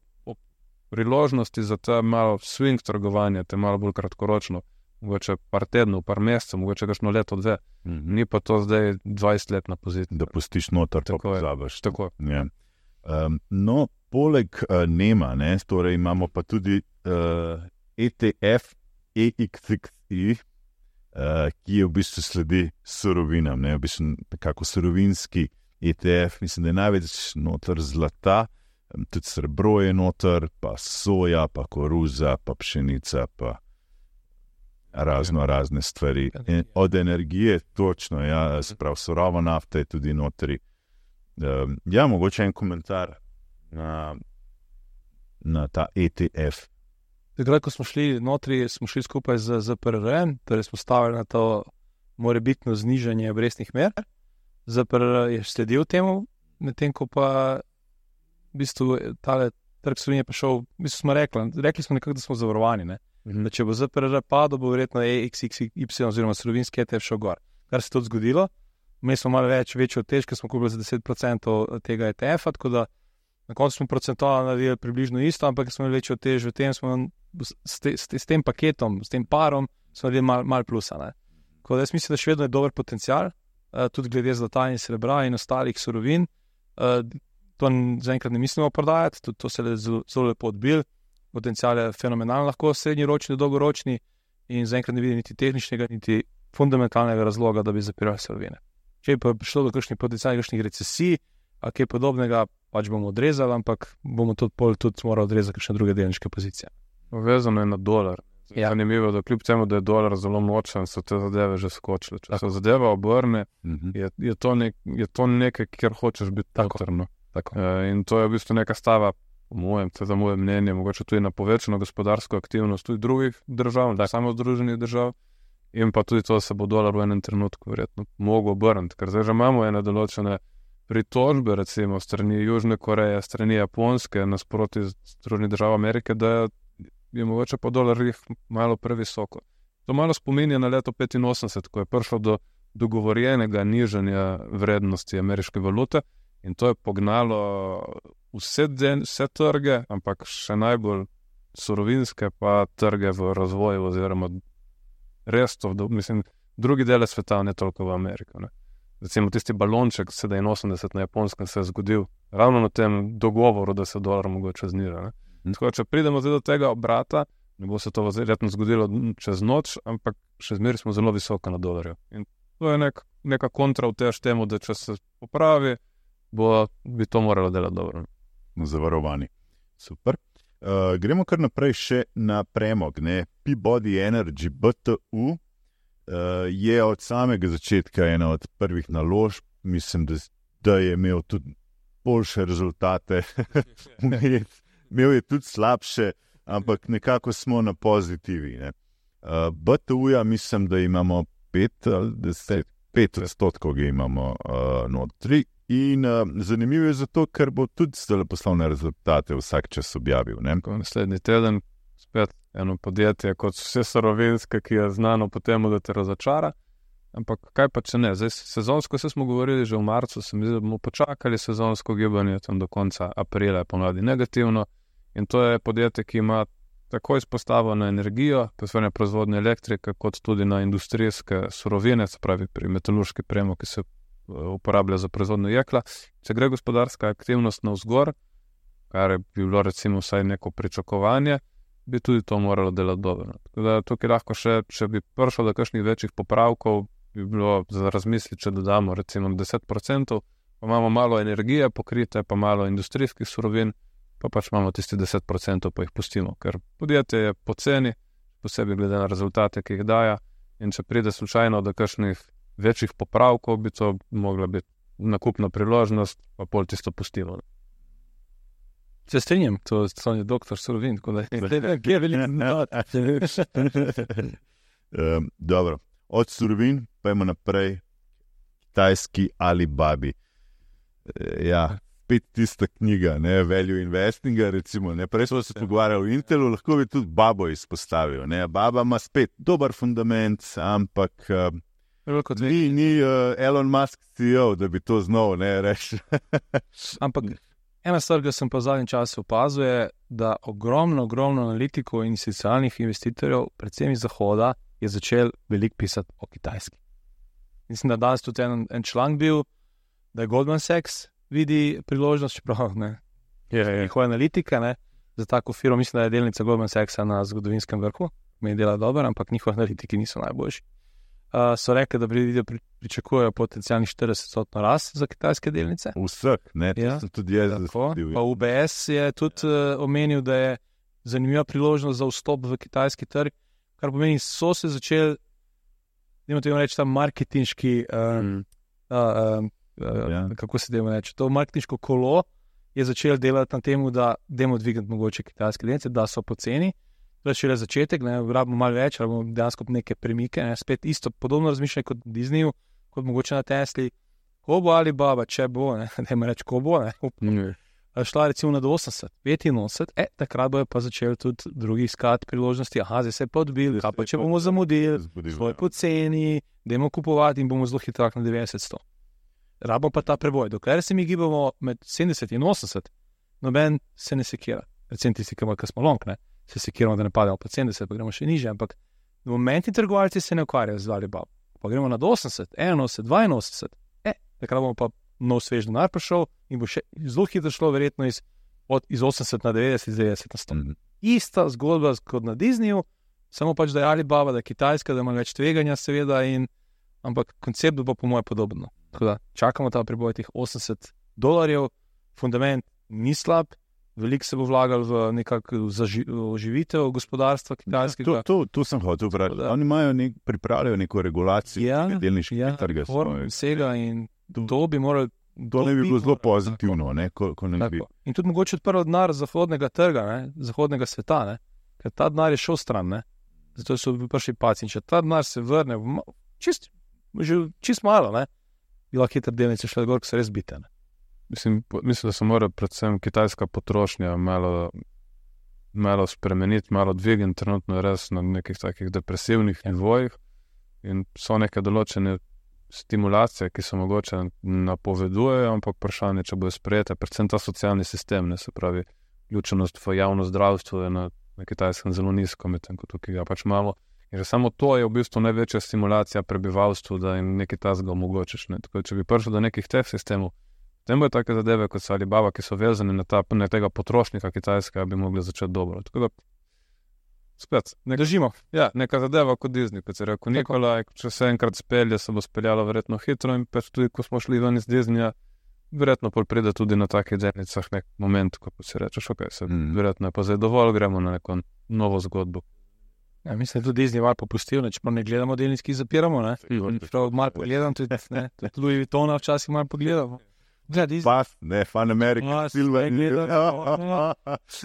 priložnosti za ta malo swing trgovanje, te malo bolj kratkoročno, mogoče par tednov, par mesecev, mogoče kakšno leto, dve. mhm. Ni pa to zdaj dvajset let na poziciji. da pustiš noter, pa Tako je. pozabiš. Tako. Ja. Um, no, poleg uh, Nema, ne, torej imamo pa tudi uh, E T F E X X I, uh, ki je v bistvu sledi surovinam, ne, v bistvu nekako surovinski E T F, mislim, da je največ noter zlata, um, tudi srebro je noter, pa soja, pa koruza, pa pšenica, pa razno razne stvari. In od energije, točno, ja, sprav surova nafta je tudi notri. Um, ja, mogoče en komentar na, na ta E T F. Takrat, ko smo šli notri, smo šli skupaj z Z P R R-em, torej smo stavili na to morebitno znižanje obrestnih mer. Z P R R je sledil temu, medtem ko pa v bistvu tale trg surovin je prišel, v bistvu smo rekli, rekli smo nekako, da smo zavarovani, ne? Mm-hmm. Da če bo Z P R R padel, bo verjetno E X X Y oziroma surovinski E T F šel gor. Kar se tudi zgodilo, mi smo malo več, večjo tež, ker smo kupili za deset procentov tega E T F-a, tako da na koncu smo procentualno naredili približno isto, ampak smo imeli večjo tež v tem, smo s, te, s, te, s tem paketom, s tem parom, smo naredili malo mal plusa. Ne? Tako da jaz mislim, da še vedno je dober potencial, uh, tudi glede zlata in srebra in ostalih surovin. Uh, to zaenkrat ne mislimo prodajati, tudi to se je zelo, zelo lepo odbil. Potencial je fenomenalen, lahko srednjeročni, dolgoročni in zaenkrat ne vidim niti tehničnega, niti fundamentalnega razloga, da bi zapirali surovine. Če je pa prišlo do kakšnih potencialnih kakšnih recesij, a kaj podobnega, pač bomo odrezali, ampak bomo tudi, pol, tudi morali odrezati kakšne druge delniške pozicije. Vezano je na dolar. Ja. Zanimivo, da kljub temu, da je dolar zelo močen, so te zadeve že skočile. Če se zadeva obrne, Mhm. je, je, to nek, je to nekaj, kjer hočeš biti Tako. notrno. Tako. E, in to je v bistvu neka stava, po mojem, to je za moje mnenje, mogoče tudi na povečano gospodarsko aktivnost tudi drugih držav, ne samo združenih držav, in pa tudi to, da se bo dolar v enem trenutku verjetno mogel obrniti, ker zdaj že imamo ene določene pritožbe, recimo strani Južne Koreje, strani Japonske, nasproti Združenih držav Amerike, da je mogoče pa dolar jih malo previsoko. To malo spominja na leto petinosemdeset, ko je prišlo do dogovorjenega nižanja vrednosti ameriške valute in to je pognalo vse, den, vse trge, ampak še najbolj surovinske pa trge v razvoju oziroma res to, mislim, drugi dele sveta, ne toliko v Ameriko. Ne. Recimo tisti balonček sedeminosemdeset na Japonskem se je zgodil ravno na tem dogovoru, da se dolar mogoče zniža. Ne. Tako, če pridemo zdaj do tega obrata, ne bo se to verjetno zgodilo čez noč, ampak še zmeraj smo zelo visoko na dolarju. In to je nek, neka kontra v tež temu, da če se popravi, bo, bi to moralo delati dobro. Zavarovani. Super. Uh, gremo kar naprej še na premog. Ne? Peabody Energy B T U uh, je od samega začetka ena od prvih naložb. Mislim, da, da je imel tudi boljše rezultate. Imel je tudi slabše, ampak nekako smo na pozitivi. Ne? Uh, B T U-ja mislim, da imamo pet ali deset, pet odstotkov ga imamo uh, notri. In uh, zanimivo je zato, ker bo tudi zdaj poslovne rezultate vsak čas objavil. Ne? Naslednji teden spet eno podjetje kot vse surovinske, ki je znano po temu, da te razočara. Ampak kaj pa če ne? Zdaj, sezonsko se smo govorili že v marcu, se mi zdi, da bomo počakali sezonsko gibanje tam do konca aprila, ponavadi negativno. In to je podjetje, ki ima tako izpostavo na energijo, posebej proizvodnje elektrike, kot tudi na industrijske surovine, se pravi pri metalurški premog, ki se uporablja za proizvodnjo jekla. Če gre gospodarska aktivnost navzgor, kar bi bilo recimo vsaj neko pričakovanje, bi tudi to moralo delati dobro. Tako da tukaj lahko še, če bi prišlo do kakšnih večjih popravkov, bi bilo za razmisliti, če dodamo recimo deset procentov, pa imamo malo energije pokrite, pa malo industrijskih surovin, pa pač imamo tisti deset procentov, pa jih pustimo, ker podjetje je poceni, posebej glede na rezultate, ki jih daja, in če pride slučajno do kakšnih večjih popravkov, bi to mogla biti nakupna priložnost, pa pol tisto pustimo. Se strinjam, to je doktor surovin, tako da je veliko um, Dobro, od surovin pa imamo naprej kitajski Alibabi. E, ja, spet tista knjiga, ne, Value Investinga, recimo, ne, prej smo se pogovarjali o Intelu, lahko bi tudi Babo izpostavil, ne, Baba ima spet dober fundament, ampak um, Ni, ni uh, Elon Musk C E O, da bi to znal, ne, reči. Ampak ena stvar, ki sem pa v zadnjem času opazil, je, da ogromno, ogromno analitikov in socialnih investitorjev, predvsem iz Zahoda, je začel veliko pisati o Kitajski. Mislim, da danes tudi en, en članek bil, da je Goldman Sachs vidi priložnost, čeprav ne, je njihova analitika, ne, za tako firmo. Mislim, da je delnica Goldman Sachsa na zgodovinskem vrhu, meni dela dobro, ampak njihovi analitiki niso najboljši. Uh, so rekli, da pri, pri, pričakujejo potencijalni štirideset odstotno rast za kitajske delnice. Vseh, ne, to Ja, sem tudi jaz Tako, zasledil. pa U B S je tudi uh, omenil, da je zanimiva priložnost za vstop v kitajski trg, kar pomeni, so se začeli, dajmo temu reči, ta marketinški, uh, Mm. uh, uh, uh, Ja. kako se dajmo reči, to marketinško kolo je začel delati na temu, da dajmo dvigati mogoče kitajske delnice, da so poceni. To je šele začetek, ne, rabimo malo več, rabimo dejansko neke premike, ne, spet isto, podobno razmišljanje kot Disneyju, kot mogoče na Tesli, ko bo Alibaba, če bo, ne, ne me reči, ko bo, ne, Ne. šla recimo na osemdeset, petinosemdeset, e, takrat bojo pa začeli tudi drugi iskati priložnosti, aha, zdaj se je pa odbil, kaj pa če bomo zamudili, svoj poceni, dajmo kupovati in bomo zelo hitro na devetdeset sto. Rabimo pa ta preboj, dokler se mi gibamo med sedemdeset in osemdeset, noben se ne sekira. Recimo tisti, ki smo long, ne, se sekiramo, da ne pademo pod sedemdeset, pa gremo še niže, ampak momentni trgovalci se ne ukvarjajo z Alibaba. Pa gremo na osemdeset, enainosemdeset, dvainosemdeset, e, takrat bomo pa nov svež denar prišel in bo še zelo hitro šlo verjetno iz, od, iz osemdeset na devetdeset, iz devetdeset na sto. Mm -hmm. Ista zgodba kot na Disneyju, samo pač, da je Alibaba, da je Kitajska, da ima več tveganja seveda, in, ampak koncept bo po moje podobno. Tako da čakamo ta preboj teh osemdeset dolarjev, fundament ni slab, veliko se bo vlagal v nekakšno oživitev gospodarstva kitajskega. Ja, to, to, to sem hotel vprašati. Oni imajo nek, pripravljajo neko regulacijo ja, delniškega ja, trga. Vsega in to bi morali. To ne bi bilo zelo pozitivno. Ne, ko, ko ne bi. In tudi mogoče odprl denar zahodnega trga, ne, zahodnega sveta, ne, ker ta denar je šel stran, ne, zato so prišli paci. In če ta denar se vrne, čist, že čist malo, ne, bi lahko hitro delnice šle gor, ko so res bite. Ne. Mislim, mislim, da se mora predvsem kitajska potrošnja malo, malo spremeniti, malo dvigniti, trenutno je res na nekih takih depresivnih ja. nivojih in so neke določene stimulacije, ki se mogoče napovedujejo, ampak vprašanje, če bojo sprejete, predvsem ta socialni sistem, ne, se pravi, vključenost v javno zdravstvo je na, na kitajskem zelo nizko, medtem ko tukaj ga pač malo. In že samo to je v bistvu največja stimulacija prebivalstvu, da jim nekaj tazga omogočiš. Ne. Tako, če bi prišel do nekih teh sistemov, potem bojo take zadeve, kot so Alibaba, ki so vezane na, ta, na tega potrošnika kitajskega, bi mogli začeti dobro. Tako da, spet, nek, držimo. Ja, neka zadeva kot Disney, kot se rekel Nikolaj, če se enkrat spelje, se bo speljalo verjetno hitro in pač tudi, ko smo šli ven iz Disneyja, verjetno pol pride tudi na takih delnicah nek moment, ko se rečeš, ok, se mm. verjetno je pa zdaj dovolj, gremo na neko novo zgodbo. Ja, mislim, da tudi Disney malo popustil, če pa ne gledamo delnic, ki zapiramo, ne. Prav malo pogledam, tudi, ne, tudi Louis Vuittona včasih malo pogledamo. Pas, ne, Fan America, Silver,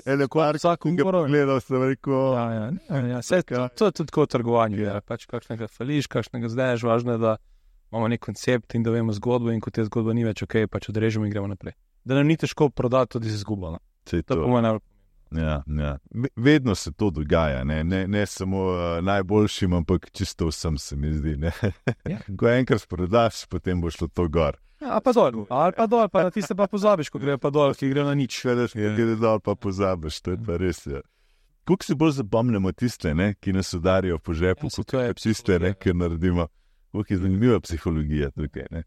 ene kvar, vsak umoro. Gledal sem rekel. Ja, ja, ja, ja, vse, to, to je tudi tako trgovanje, ja. Pač kakšnega fališ, kakšnega zdaješ, važno je, da imamo nek koncept in da vemo zgodbo in ko te zgodba ni več, ok, pač odrežemo in gremo naprej. Da nam ni težko prodati tudi z izgubo, no. To je to. To ja, ja. Vedno se to dogaja, ne, ne, ne samo uh, najboljšim, ampak čisto vsem se mi zdi, ne. Ja. Ko enkrat prodaš, potem bo šlo to gor. Ja, ali pa dol, ali pa dol, pa na tiste pa pozabiš, ko gre pa dol, ki gre na nič. Veš, ko gre dol, pa pozabiš, to je pa res, ja. Kako si bolj zapomnimo tiste, ne, ki nas udarijo po žepu, ja, kot je tiste, ne, ki naredimo. Kako je zanimiva psihologija tukaj, ne.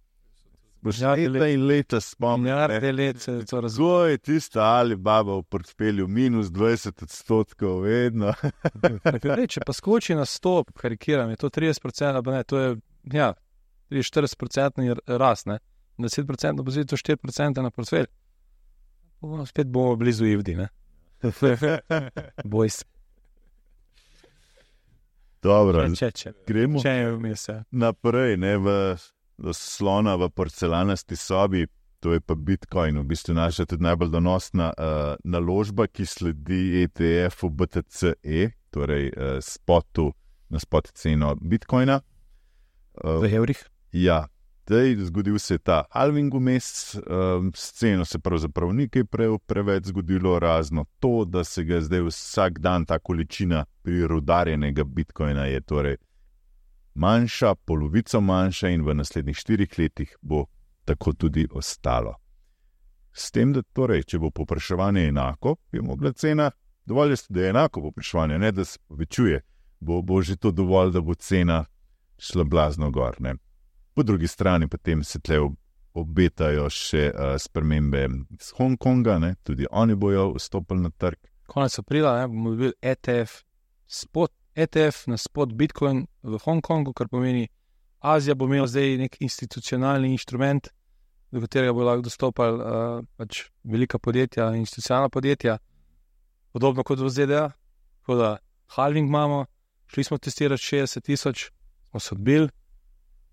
Boš ja, leta in leta spomnil, ne, let se to razgoj, tista Alibaba v portfelju minus dvajset odstotkov, vedno. Če pa skoči na stop, karikiram, je to trideset procentov, pa ne, to je, ja, trideset štirideset procentov rast, ne. deset procentov bo to štiri procente na portfelj. Spet bomo blizu Ivdi, ne? Boj se. Dobro, če, če, gremo če je vmes, ja. naprej, ne, v, do slona v porcelanasti sobi, to je pa Bitcoin, v bistvu naša tudi najbolj donosna uh, naložba, ki sledi E T F-u B T C E, torej uh, spotu, na spot ceno Bitcoina. Uh, v evrih? Ja. Zdaj, zgodil se je ta halving vmes, um, s ceno se pravzaprav ni kaj pre, preveč zgodilo, razno to, da se ga zdaj vsak dan ta količina prirudarjenega bitcoina je torej manjša, polovico manjša in v naslednjih štirih letih bo tako tudi ostalo. S tem, da torej, če bo povpraševanje enako, bi mogla cena, dovolj je, da je enako povpraševanje, ne da se povečuje, bo, bo že to dovolj, da bo cena šla blazno gor, ne. Po drugi strani potem se tle obetajo še uh, spremembe z Hongkonga, ne? Tudi oni bojo vstopili na trg. Konec aprila ne, bomo dobili E T F, spot, E T F na spot Bitcoin v Hongkongu, kar pomeni, Azija bo imela zdaj nek institucionalni inštrument, do katerega bo lahko dostopali uh, pač velika podjetja, institucionalna podjetja, podobno kot v Z D A. Tako da halving imamo, šli smo testirati šestdeset tisoč, smo se odbili.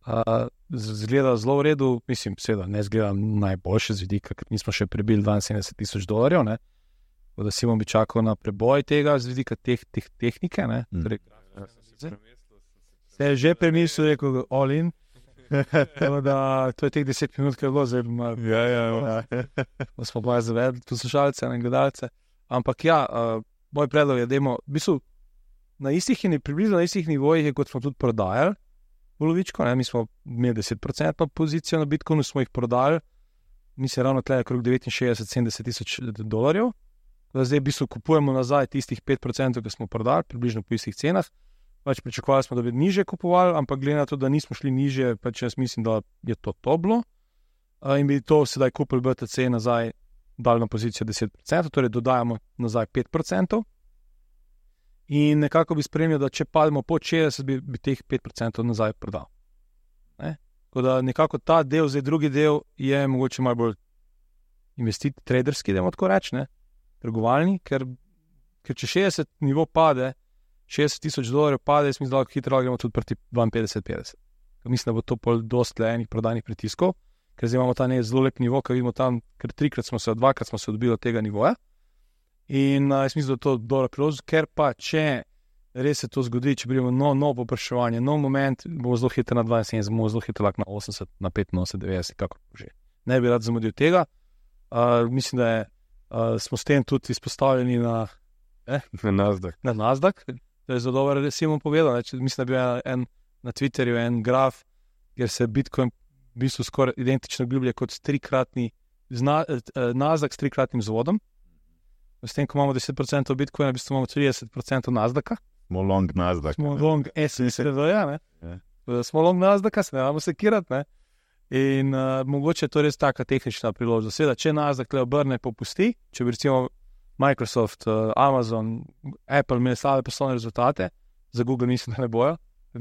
Uh, zgleda zelo v redu, mislim, seveda ne zgleda najboljše z vidika, ker nismo še prebili dvainsedemdeset tisoč dolarjev, ne, da si bom bi čakal na preboj tega z vidika teh, teh tehnike, ne, mm. torej, se je že premislil, rekel all in, Da, to je teh deset minut, ki je bilo zdaj malo. Ja, ja, ja. Da smo pa zavedli poslušalce in gledalce. Ampak ja, uh, moj predlog je, da imamo, v bistvu, na istih in približno na istih nivojih, kot smo tudi prodajali polovičko, ne? Mi smo imeli deset procentov pozicijo na Bitcoinu, smo jih prodali, mislim, ravno tle okrog devetinšestdeset do sedemdeset tisoč dolarjev. Zdaj v bistvu kupujemo nazaj tistih pet procentov, ki smo prodali, približno po istih cenah. Pač pričakovali smo, da bi niže kupovali, ampak glede na to, da nismo šli niže, pač jaz mislim, da je to to bilo. Uh, in bi to sedaj kupili B T C nazaj, dali na pozicijo deset procentov, torej dodajamo nazaj pet procentov. In nekako bi spremljal, da če pademo pod šestdeset, bi, bi teh pet procentov nazaj prodal. Ne? Tako da nekako ta del, zdaj drugi del, je mogoče malo bolj investit, traderski, da imamo tako reči, ne? Trgovalni, ker, ker če šestdeset nivo pade, šestdeset tisoč dolarjev pade, jaz mislim, da lahko hitro gremo tudi proti dvainpetdeset petdeset. Mislim, da bo to pol dosti le enih prodajnih pritiskov, ker zdaj imamo ta ne zelo lep nivo, ker vidimo tam, ker trikrat smo se, dvakrat smo se odbili od tega nivoja. In uh, jaz mislim, da je to dobro priložnost, ker pa če res se to zgodi, če pridemo nov no popraševanje, nov moment, bomo zelo hitro na dvainsedemdeset, bomo zelo hitro lahko na osemdeset, na petinosemdeset, devetdeset, kako že. Ne bi rad zamudil tega. Uh, mislim, da je, uh, smo s tem tudi izpostavljeni na, eh, Na Nasdaq. na Nasdaq. To je zelo dobro, da si mu povedal. Ne? Mislim, da bi bil en, na Twitterju en graf, kjer se Bitcoin v bistvu skoraj identično obljublja kot trikratni zna, eh, Nasdaq s trikratnim zvodom. S tem, ko imamo deset procentov Bitcoina, v bistvu imamo trideset procentov Nasdaqa. Smo long Nasdaq. Smo long S S R V, ja, ne? Ja. Smo long Nasdaqa, se ne vamo sekirati, ne? In uh, mogoče je to res taka tehnična priložnost. Seveda, če Nasdaq le obrne, popusti, če bi recimo Microsoft, uh, Amazon, Apple imeli slabe poslovne rezultate, za Google mislim, da ne bojo.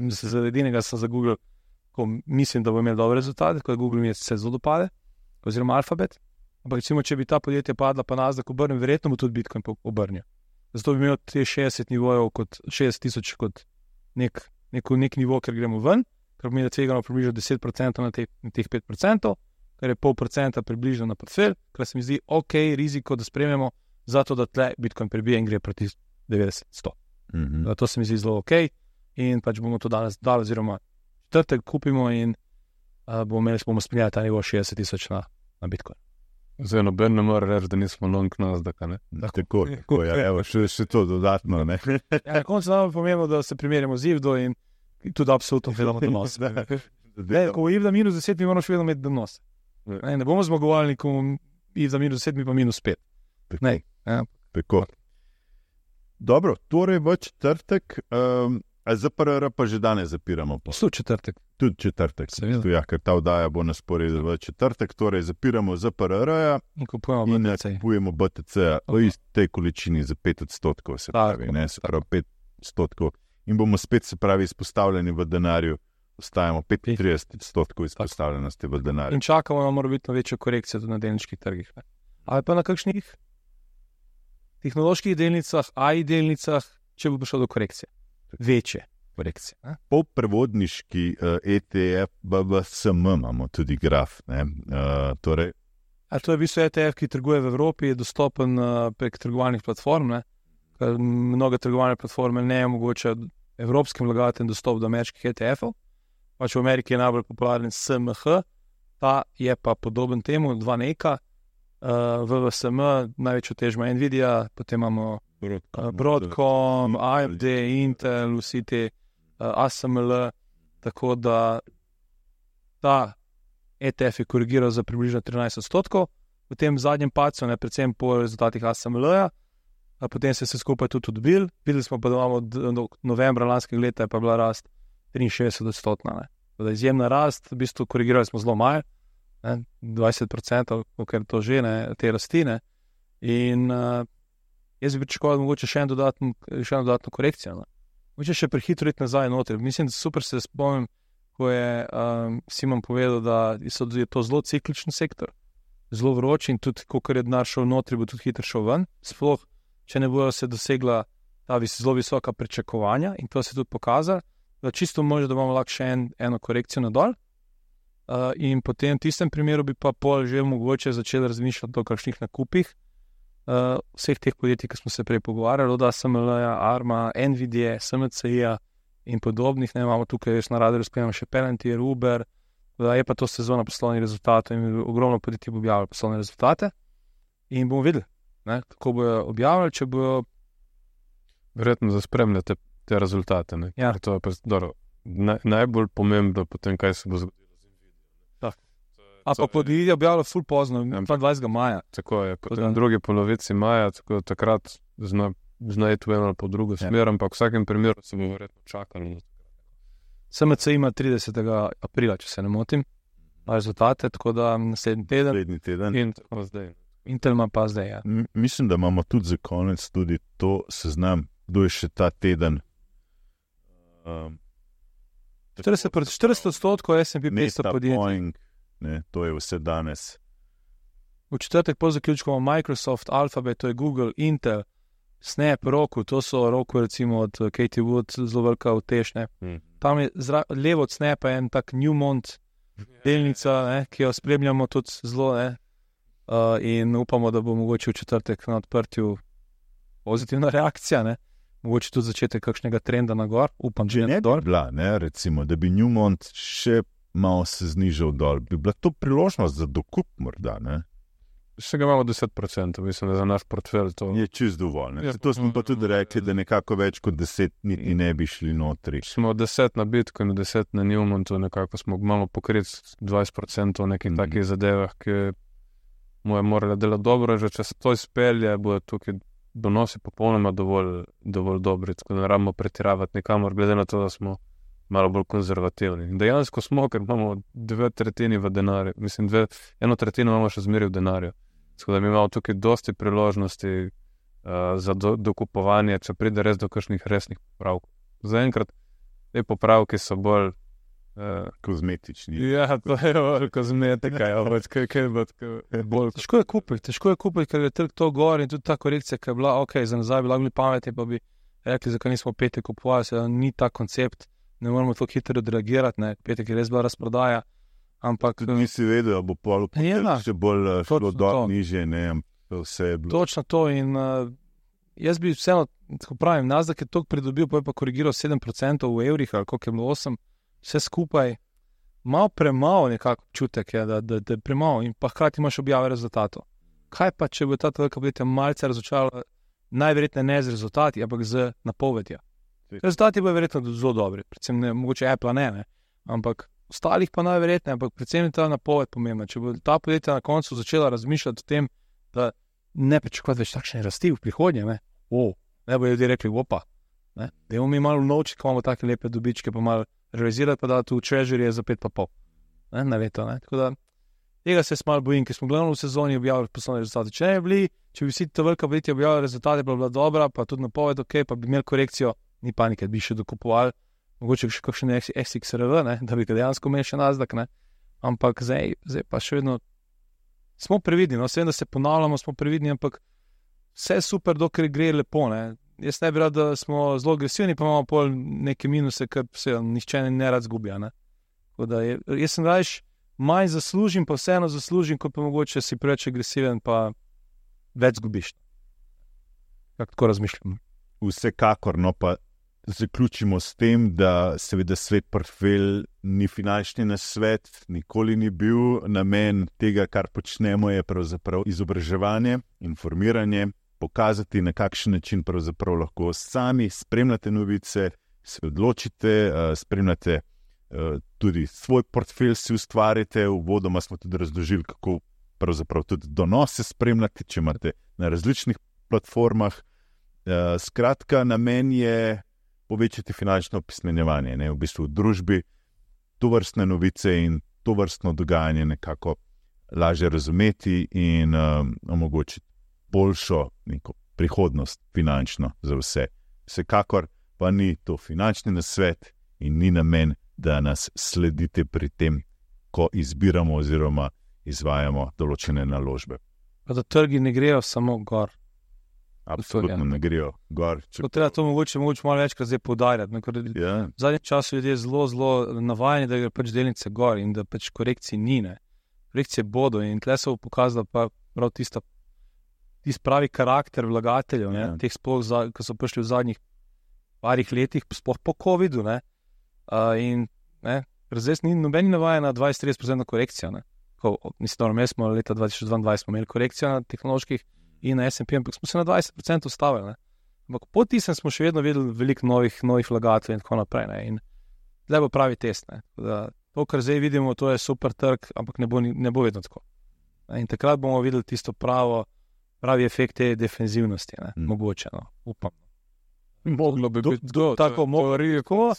Za edinega sem za Google, ko mislim, da bo imel dobre rezultate, ko je Google mi se zelo dopade, oziroma Alphabet. Ampak recimo, če bi ta podjetja padla, pa Nasdaq obrnil, verjetno bo tudi Bitcoin obrnil. Zato bi imel te šestdeset nivojev, kot šestdeset tisoč kot nek, nek, nek nivo, ker gremo ven, ker pomeni, da tvegamo približno deset procentov na, te, na teh pet procentov, kar je pol procenta približno na portfelj, kar se mi zdi ok, riziko, da sprememo, zato da tle Bitcoin prebije in gre proti devetdeset sto. Mhm. To se mi zdi zelo ok in pač bomo to danes dali, oziroma četrtek kupimo in uh, bomo imeli, bomo spremljali ta nivo šestdeset tisoč na, na Bitcoin. Zdaj noben ne more reči, da nismo long Nasdaqa, ne? Tako, tako ja, evo, še, še to dodatno, ne. Ja, na koncu nam je pomembno, da se primerjamo z I V D O in tudi absolutno gledamo donos. Ne, ko I V D A minus deset, mi moramo še vedno imeti donos. Ne, ne bomo zmagovalni, ko I V D A minus deset, mi pa minus pet. Ne, ja. Tako. Dobro, torej v četrtek, um, a Z P R R pa že danes zapiramo. Pa. Slu četrtek. Tudi četrtek. Seveda. Ja, ker ta oddaja bo na sporedu v četrtek, torej zapiramo Z P R R-ja In kupujemo in B T C. kupujemo B T C-ja v Aha. tej količini za pet odstotkov, se Tako, pravi, ne, se pravi pet odstotkov. In bomo spet, se pravi, izpostavljeni v denarju, ostajamo petintrideset odstotkov izpostavljenosti v denarju. In čakamo na morebitno večjo korekcijo tudi na delniških trgih. Ne? Ali pa na kakšnih tehnoloških delnicah, A I delnicah, če bo prišlo do korekcije. Večje korekcije. Ne? Polprevodniški uh, E T F B V S M imamo tudi graf. Ne? Uh, torej, A to je v bistvu E T F, ki trguje v Evropi, je dostopen uh, prek trgovalnih platform. Ne? Ker mnoge trgovalne platforme ne omogočajo evropskim vlagateljem dostop do ameriških E T F-ov. Pač v Ameriki je najbolj popularen S M H, ta je pa podoben temu, dva neka. Uh, V V S M, največjo tež ima Nvidia, potem imamo uh, Broadcom, A M D, Intel, vsi te uh, A S M L, tako da ta E T F je korigiral za približno trinajst odstotkov, v tem zadnjem padcu, ne, predvsem po rezultatih A S M L-ja, a potem se je vse skupaj tudi odbil. Videli smo pa, da imamo do novembra lanskega leta je pa bila rast triinšestdeset odstotna. Da izjemna rast, v bistvu korigirali smo zelo malo, ne, dvajset procentov, ker to že ne, te rastine. In uh, jaz bi pričakoval mogoče še en dodatno, še eno dodatno korekcijo. Ne. Mogoče še prehitro iti nazaj noter. Mislim, da super se spomnim, ko je um, Simon povedal, da so, je to zelo cikličen sektor, zelo vroč in tudi, ko je denar šel notri, bo tudi hitro šel ven. Sploh, če ne bojo se dosegla ta vis, zelo visoka pričakovanja in to se tudi pokazalo, da čisto može, da bomo lahko še en, eno korekcijo nadol. Uh, in potem v tistem primeru bi pa pol že mogoče začeli razmišljati o kakšnih nakupih uh, vseh teh podjetij, ki smo se prej pogovarjali, od A S M L-ja, Arma, Nvidia, S M C I-ja in podobnih. Ne, imamo tukaj res na radarju spremljamo še Palantir, Uber, Da je pa to sezona poslovnih rezultatov in ogromno podjetij bo objavilo poslovne rezultate in bomo videli, ne, kako bojo objavili, če bojo... Verjetno zaspremljate te rezultate. Ne? Ja. To je pa dobro, naj, najbolj pomembno potem, kaj se bo zgodilo. A pa podjetje objavilo ful pozno, dvajsetega maja. Tako je, potem v drugi polovici maja, tako takrat zna, zna iti v eno ali po drugo smer, ampak v vsakem primeru se bo verjetno čakali. S M C ima tridesetega aprila, če se ne motim, rezultate, tako da naslednji teden. Naslednji teden. In tako zdaj. Intel ima pa zdaj, ja. M- mislim, da imamo tudi za konec tudi to seznam, kdo je še ta teden. Um, štirideset odstotkov S and P petsto podjetij. Boeing, ne, to je vse danes. V četrtek po zaključku imamo Microsoft, Alphabet, to je Google, Intel, Snap, Roku, to so Roku recimo od Katie Wood, zelo velika utešne. Hmm. Tam je zra, levo od Snapa en tak Newmont delnica, ne, ki jo spremljamo tudi zelo, ne, uh, in upamo, da bo mogoče v četrtek na odprtju pozitivna reakcija, ne, mogoče tudi začetek kakšnega trenda na gor, upam, Če že ne ne bi dol. bila, ne, recimo, da bi Newmont še malo se znižal dol, bi bila to priložnost za dokup morda, ne? Še ga imamo deset procentov, mislim, da za naš portfelj to... Je čist dovolj, ne? Ja, To smo pa tudi rekli, da nekako več kot deset niti ne bi šli notri. Smo deset na Bitcoinu, deset na Newmontu, nekako smo malo pokriti dvajset procentov v nekih Mhm. mm. takih zadevah, ki mu je morala delati dobro, že če se to izpelje, bo tukaj donosi popolnoma dovolj, dovolj dobri, tako da ne rabimo pretiravati nikamor, glede na to, da smo malo bolj konzervativni. In dejansko smo, ker imamo dve tretjini v denarju, mislim, dve, eno tretjino imamo še zmeraj v denarju. Tako da mi imamo tukaj dosti priložnosti uh, za do, dokupovanje, če pride res do kakšnih resnih popravkov. Zaenkrat te popravki so bolj... Uh, Kozmetični. ja, to je bolj kozmetika, ja, pač kaj, kaj bo tako bolj... Težko je kupiti, težko je kupiti, ker je trg to gor in tudi ta korekcija, ki je bila, ok, za nazaj bi lahko bili pametni, pa bi rekli, zakaj nismo petek kupovali, se ni ta koncept, ne moramo tako hitro odreagirati, ne, petek je res bila razprodaja, ampak Tudi nisi vedel, da bo pol Ja, da. še bolj eh, šlo Točno dol, to. nižje, ne, ampak vse je bilo. točno to in uh, jaz bi vseeno, tako pravim, Nasdaq je toliko pridobil, pa je pa korigiral sedem procentov v evrih, ali koliko je bilo osem, vse skupaj, malo premalo nekako občutek je, da, da, da je premalo in pa hkrati imaš objave rezultatov. Kaj pa, če bo ta velika podjetja malce razočarala, najverjetneje ne z rezultati, ampak z napovedjo. Rezultati bodo verjetno zelo dobri, predvsem ne, mogoče Apple ne, ne, ampak ostalih pa najverjetneje, ampak predvsem je ta napoved pomembna. Če bo ta podjetja na koncu začela razmišljati o tem, da ne pričakovati več takšne rasti v prihodnje, ne, o, ne bojo ljudje rekli, opa, ne, da imamo mi malo novček, ko imamo take lepe dobičke, pa malo realizirati, pa da tu treasury je za pet pa pol, ne, na leto, ne, tako da tega se jaz malo bojim, ker smo glavno v sezoni objavili poslovne rezultate. Če ne bi bili, če bi vsi ta velika podjetja objavili rezultate, bi bila dobra, pa tudi napoved, ok, pa bi imeli korekcijo, ni panike, bi še dokupovali, mogoče še kakšen S X R V, ne, da bi ga dejansko imeli še Nasdaq, ne, ampak zdaj, zdaj pa še vedno smo previdni, no, vsem, da se ponavljamo, smo previdni, ampak vse je super, dokler gre lepo, ne. Jaz ne bi rad, da smo zelo agresivni, pa imamo pol neke minuse, ker se nihče ne rad zgubja, ne. Tako da je, jaz sem rajš manj zaslužim, pa vseeno zaslužim, kot pa mogoče si preveč agresiven, pa več zgubiš. Kako tako razmišljam? Vsekakor, no pa zaključimo s tem, da seveda svet portfelj ni finančni nasvet, nikoli ni bil namen tega, kar počnemo, je pravzaprav izobraževanje, informiranje, pokazati, na kakšen način pravzaprav lahko sami spremljate novice, se odločite, spremljate tudi svoj portfelj, si ustvarite. Uvodoma smo tudi razložili, kako pravzaprav tudi donose spremljati, če imate na različnih platformah. Skratka, namen je povečati finančno opismenjevanje, ne, v bistvu v družbi, tovrstne novice in tovrstno dogajanje nekako lažje razumeti in um, omogočiti boljšo neko prihodnost finančno za vse. Vsekakor pa ni to finančni nasvet in ni namen, da nas sledite pri tem, ko izbiramo oziroma izvajamo določene naložbe. Pa da trgi ne grejo samo gor. Absolutno ne grejo gor. Tako treba to mogoče, mogoče malo večkrat zdaj poudarjati. Ja. V zadnjem času ljudje zelo, zelo navajeni, da gre pač delnice gor in da pač korekcij ni, ne. Korekcije bodo in tle se bo pokazala pa prav tista, tist pravi karakter vlagateljev, ne, Ja. teh sploh, za, ko so prišli v zadnjih parih letih, sploh po covidu, ne. Uh, in ne, ker zdaj ni nobeni navaja na dvajset do trideset procentno korekcijo. Ne? Ko, mislim, da smo leta dva tisoč dvaindvajset imeli korekcijo na tehnoloških in na S and P, ampak smo se na dvajset procentov ustavili. Ne? Ampak po tistem smo še vedno videli veliko novih, novih vlagateljev in tako naprej. Ne? In zdaj bo pravi test. Ne? Da, to, kar zdaj vidimo, to je super trg, ampak ne bo, ne bo vedno tako. Ne? In takrat bomo videli tisto pravo, pravi efekt te defenzivnosti. Ne? Mm. Mogoče, no? Upam. Moglo bi biti do, tako, teorije, tako.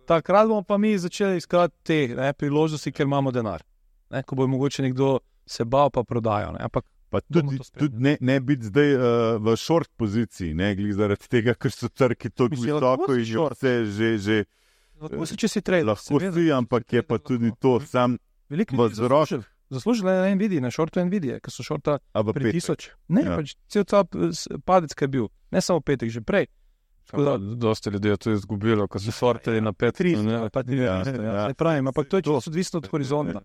Takrat bomo pa mi začeli iskati te ne, priložnosti, ker imamo denar. Ne? Ko bo mogoče nekdo se bal pa prodajo. Ne? Ampak pa tudi, tudi ne, ne biti zdaj uh, v short poziciji, ne glede zaradi tega, ker so trgi tako visoko in že vse že... že lahko si, če si trader. Lahko si, ampak je pa tudi to sam vzrok. Zaslužili na Nvidia, na shortu Nvidia, ker so shorta pri tisoč. Ne, ja. Pač cel ta padec, ki je bil. Ne samo petek, že prej. Dosti ljudi je to izgubilo, ko so shortili na pet. tri, ne, pa tri, ja, ja, ja. Pravim, ampak to je čisto odvisno od horizonta.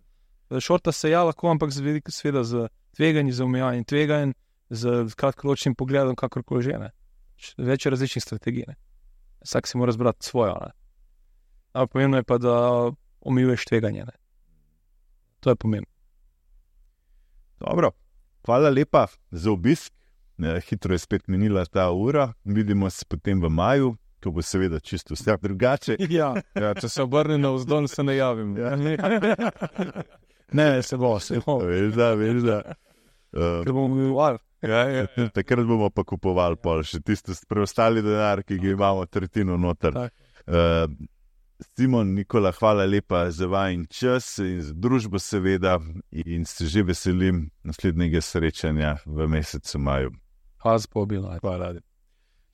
Shorta se ja lahko, ampak seveda z tveganji, z omejevanjem tveganj, z kratkoročnim pogledom, kakorkoli že. Ne. Več različnih strategij. Ne. Vsak si mora zbrati svojo. Ne. Ampak pomembno je pa, da omejuješ tveganje. Ne. To je pomembno. Dobro, hvala lepa za obisk. Hitro je spet minila ta ura. Vidimo se potem v maju, ko bo seveda čisto vse drugače. Ja. Ja, če se obrne na vzdolj, se ne javim. Ja. Ne, se bo, se bo. Veš da, veš da. Uh, Ker bomo kupovali. Ja, ja, ja. Takrat bomo pa kupovali pol, še tisto preostali denar, ki ga imamo tretjino noter. Uh, Simon, Nikola, hvala lepa za vajen čas in za družbo seveda in se že veselim naslednjega srečanja v mesecu maju. Hvala za povabilo. Hvala.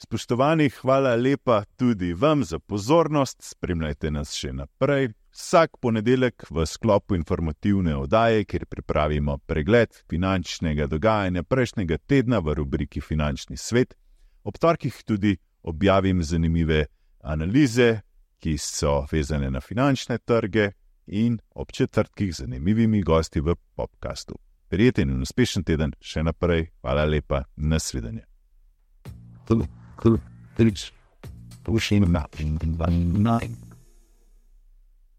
Spoštovani, hvala lepa tudi vam za pozornost. Spremljajte nas še naprej. Vsak ponedeljek v sklopu informativne oddaje, kjer pripravimo pregled finančnega dogajanja prejšnjega tedna v rubriki Finančni svet. Ob torkih tudi objavim zanimive analize, ki so vezane na finančne trge in ob četrtkih z zanimivimi gosti v podcastu. Prijeten in uspešen teden še naprej. Hvala lepa. Nasvidenje. Cool, cool. Thanks. Pushing him up in one night.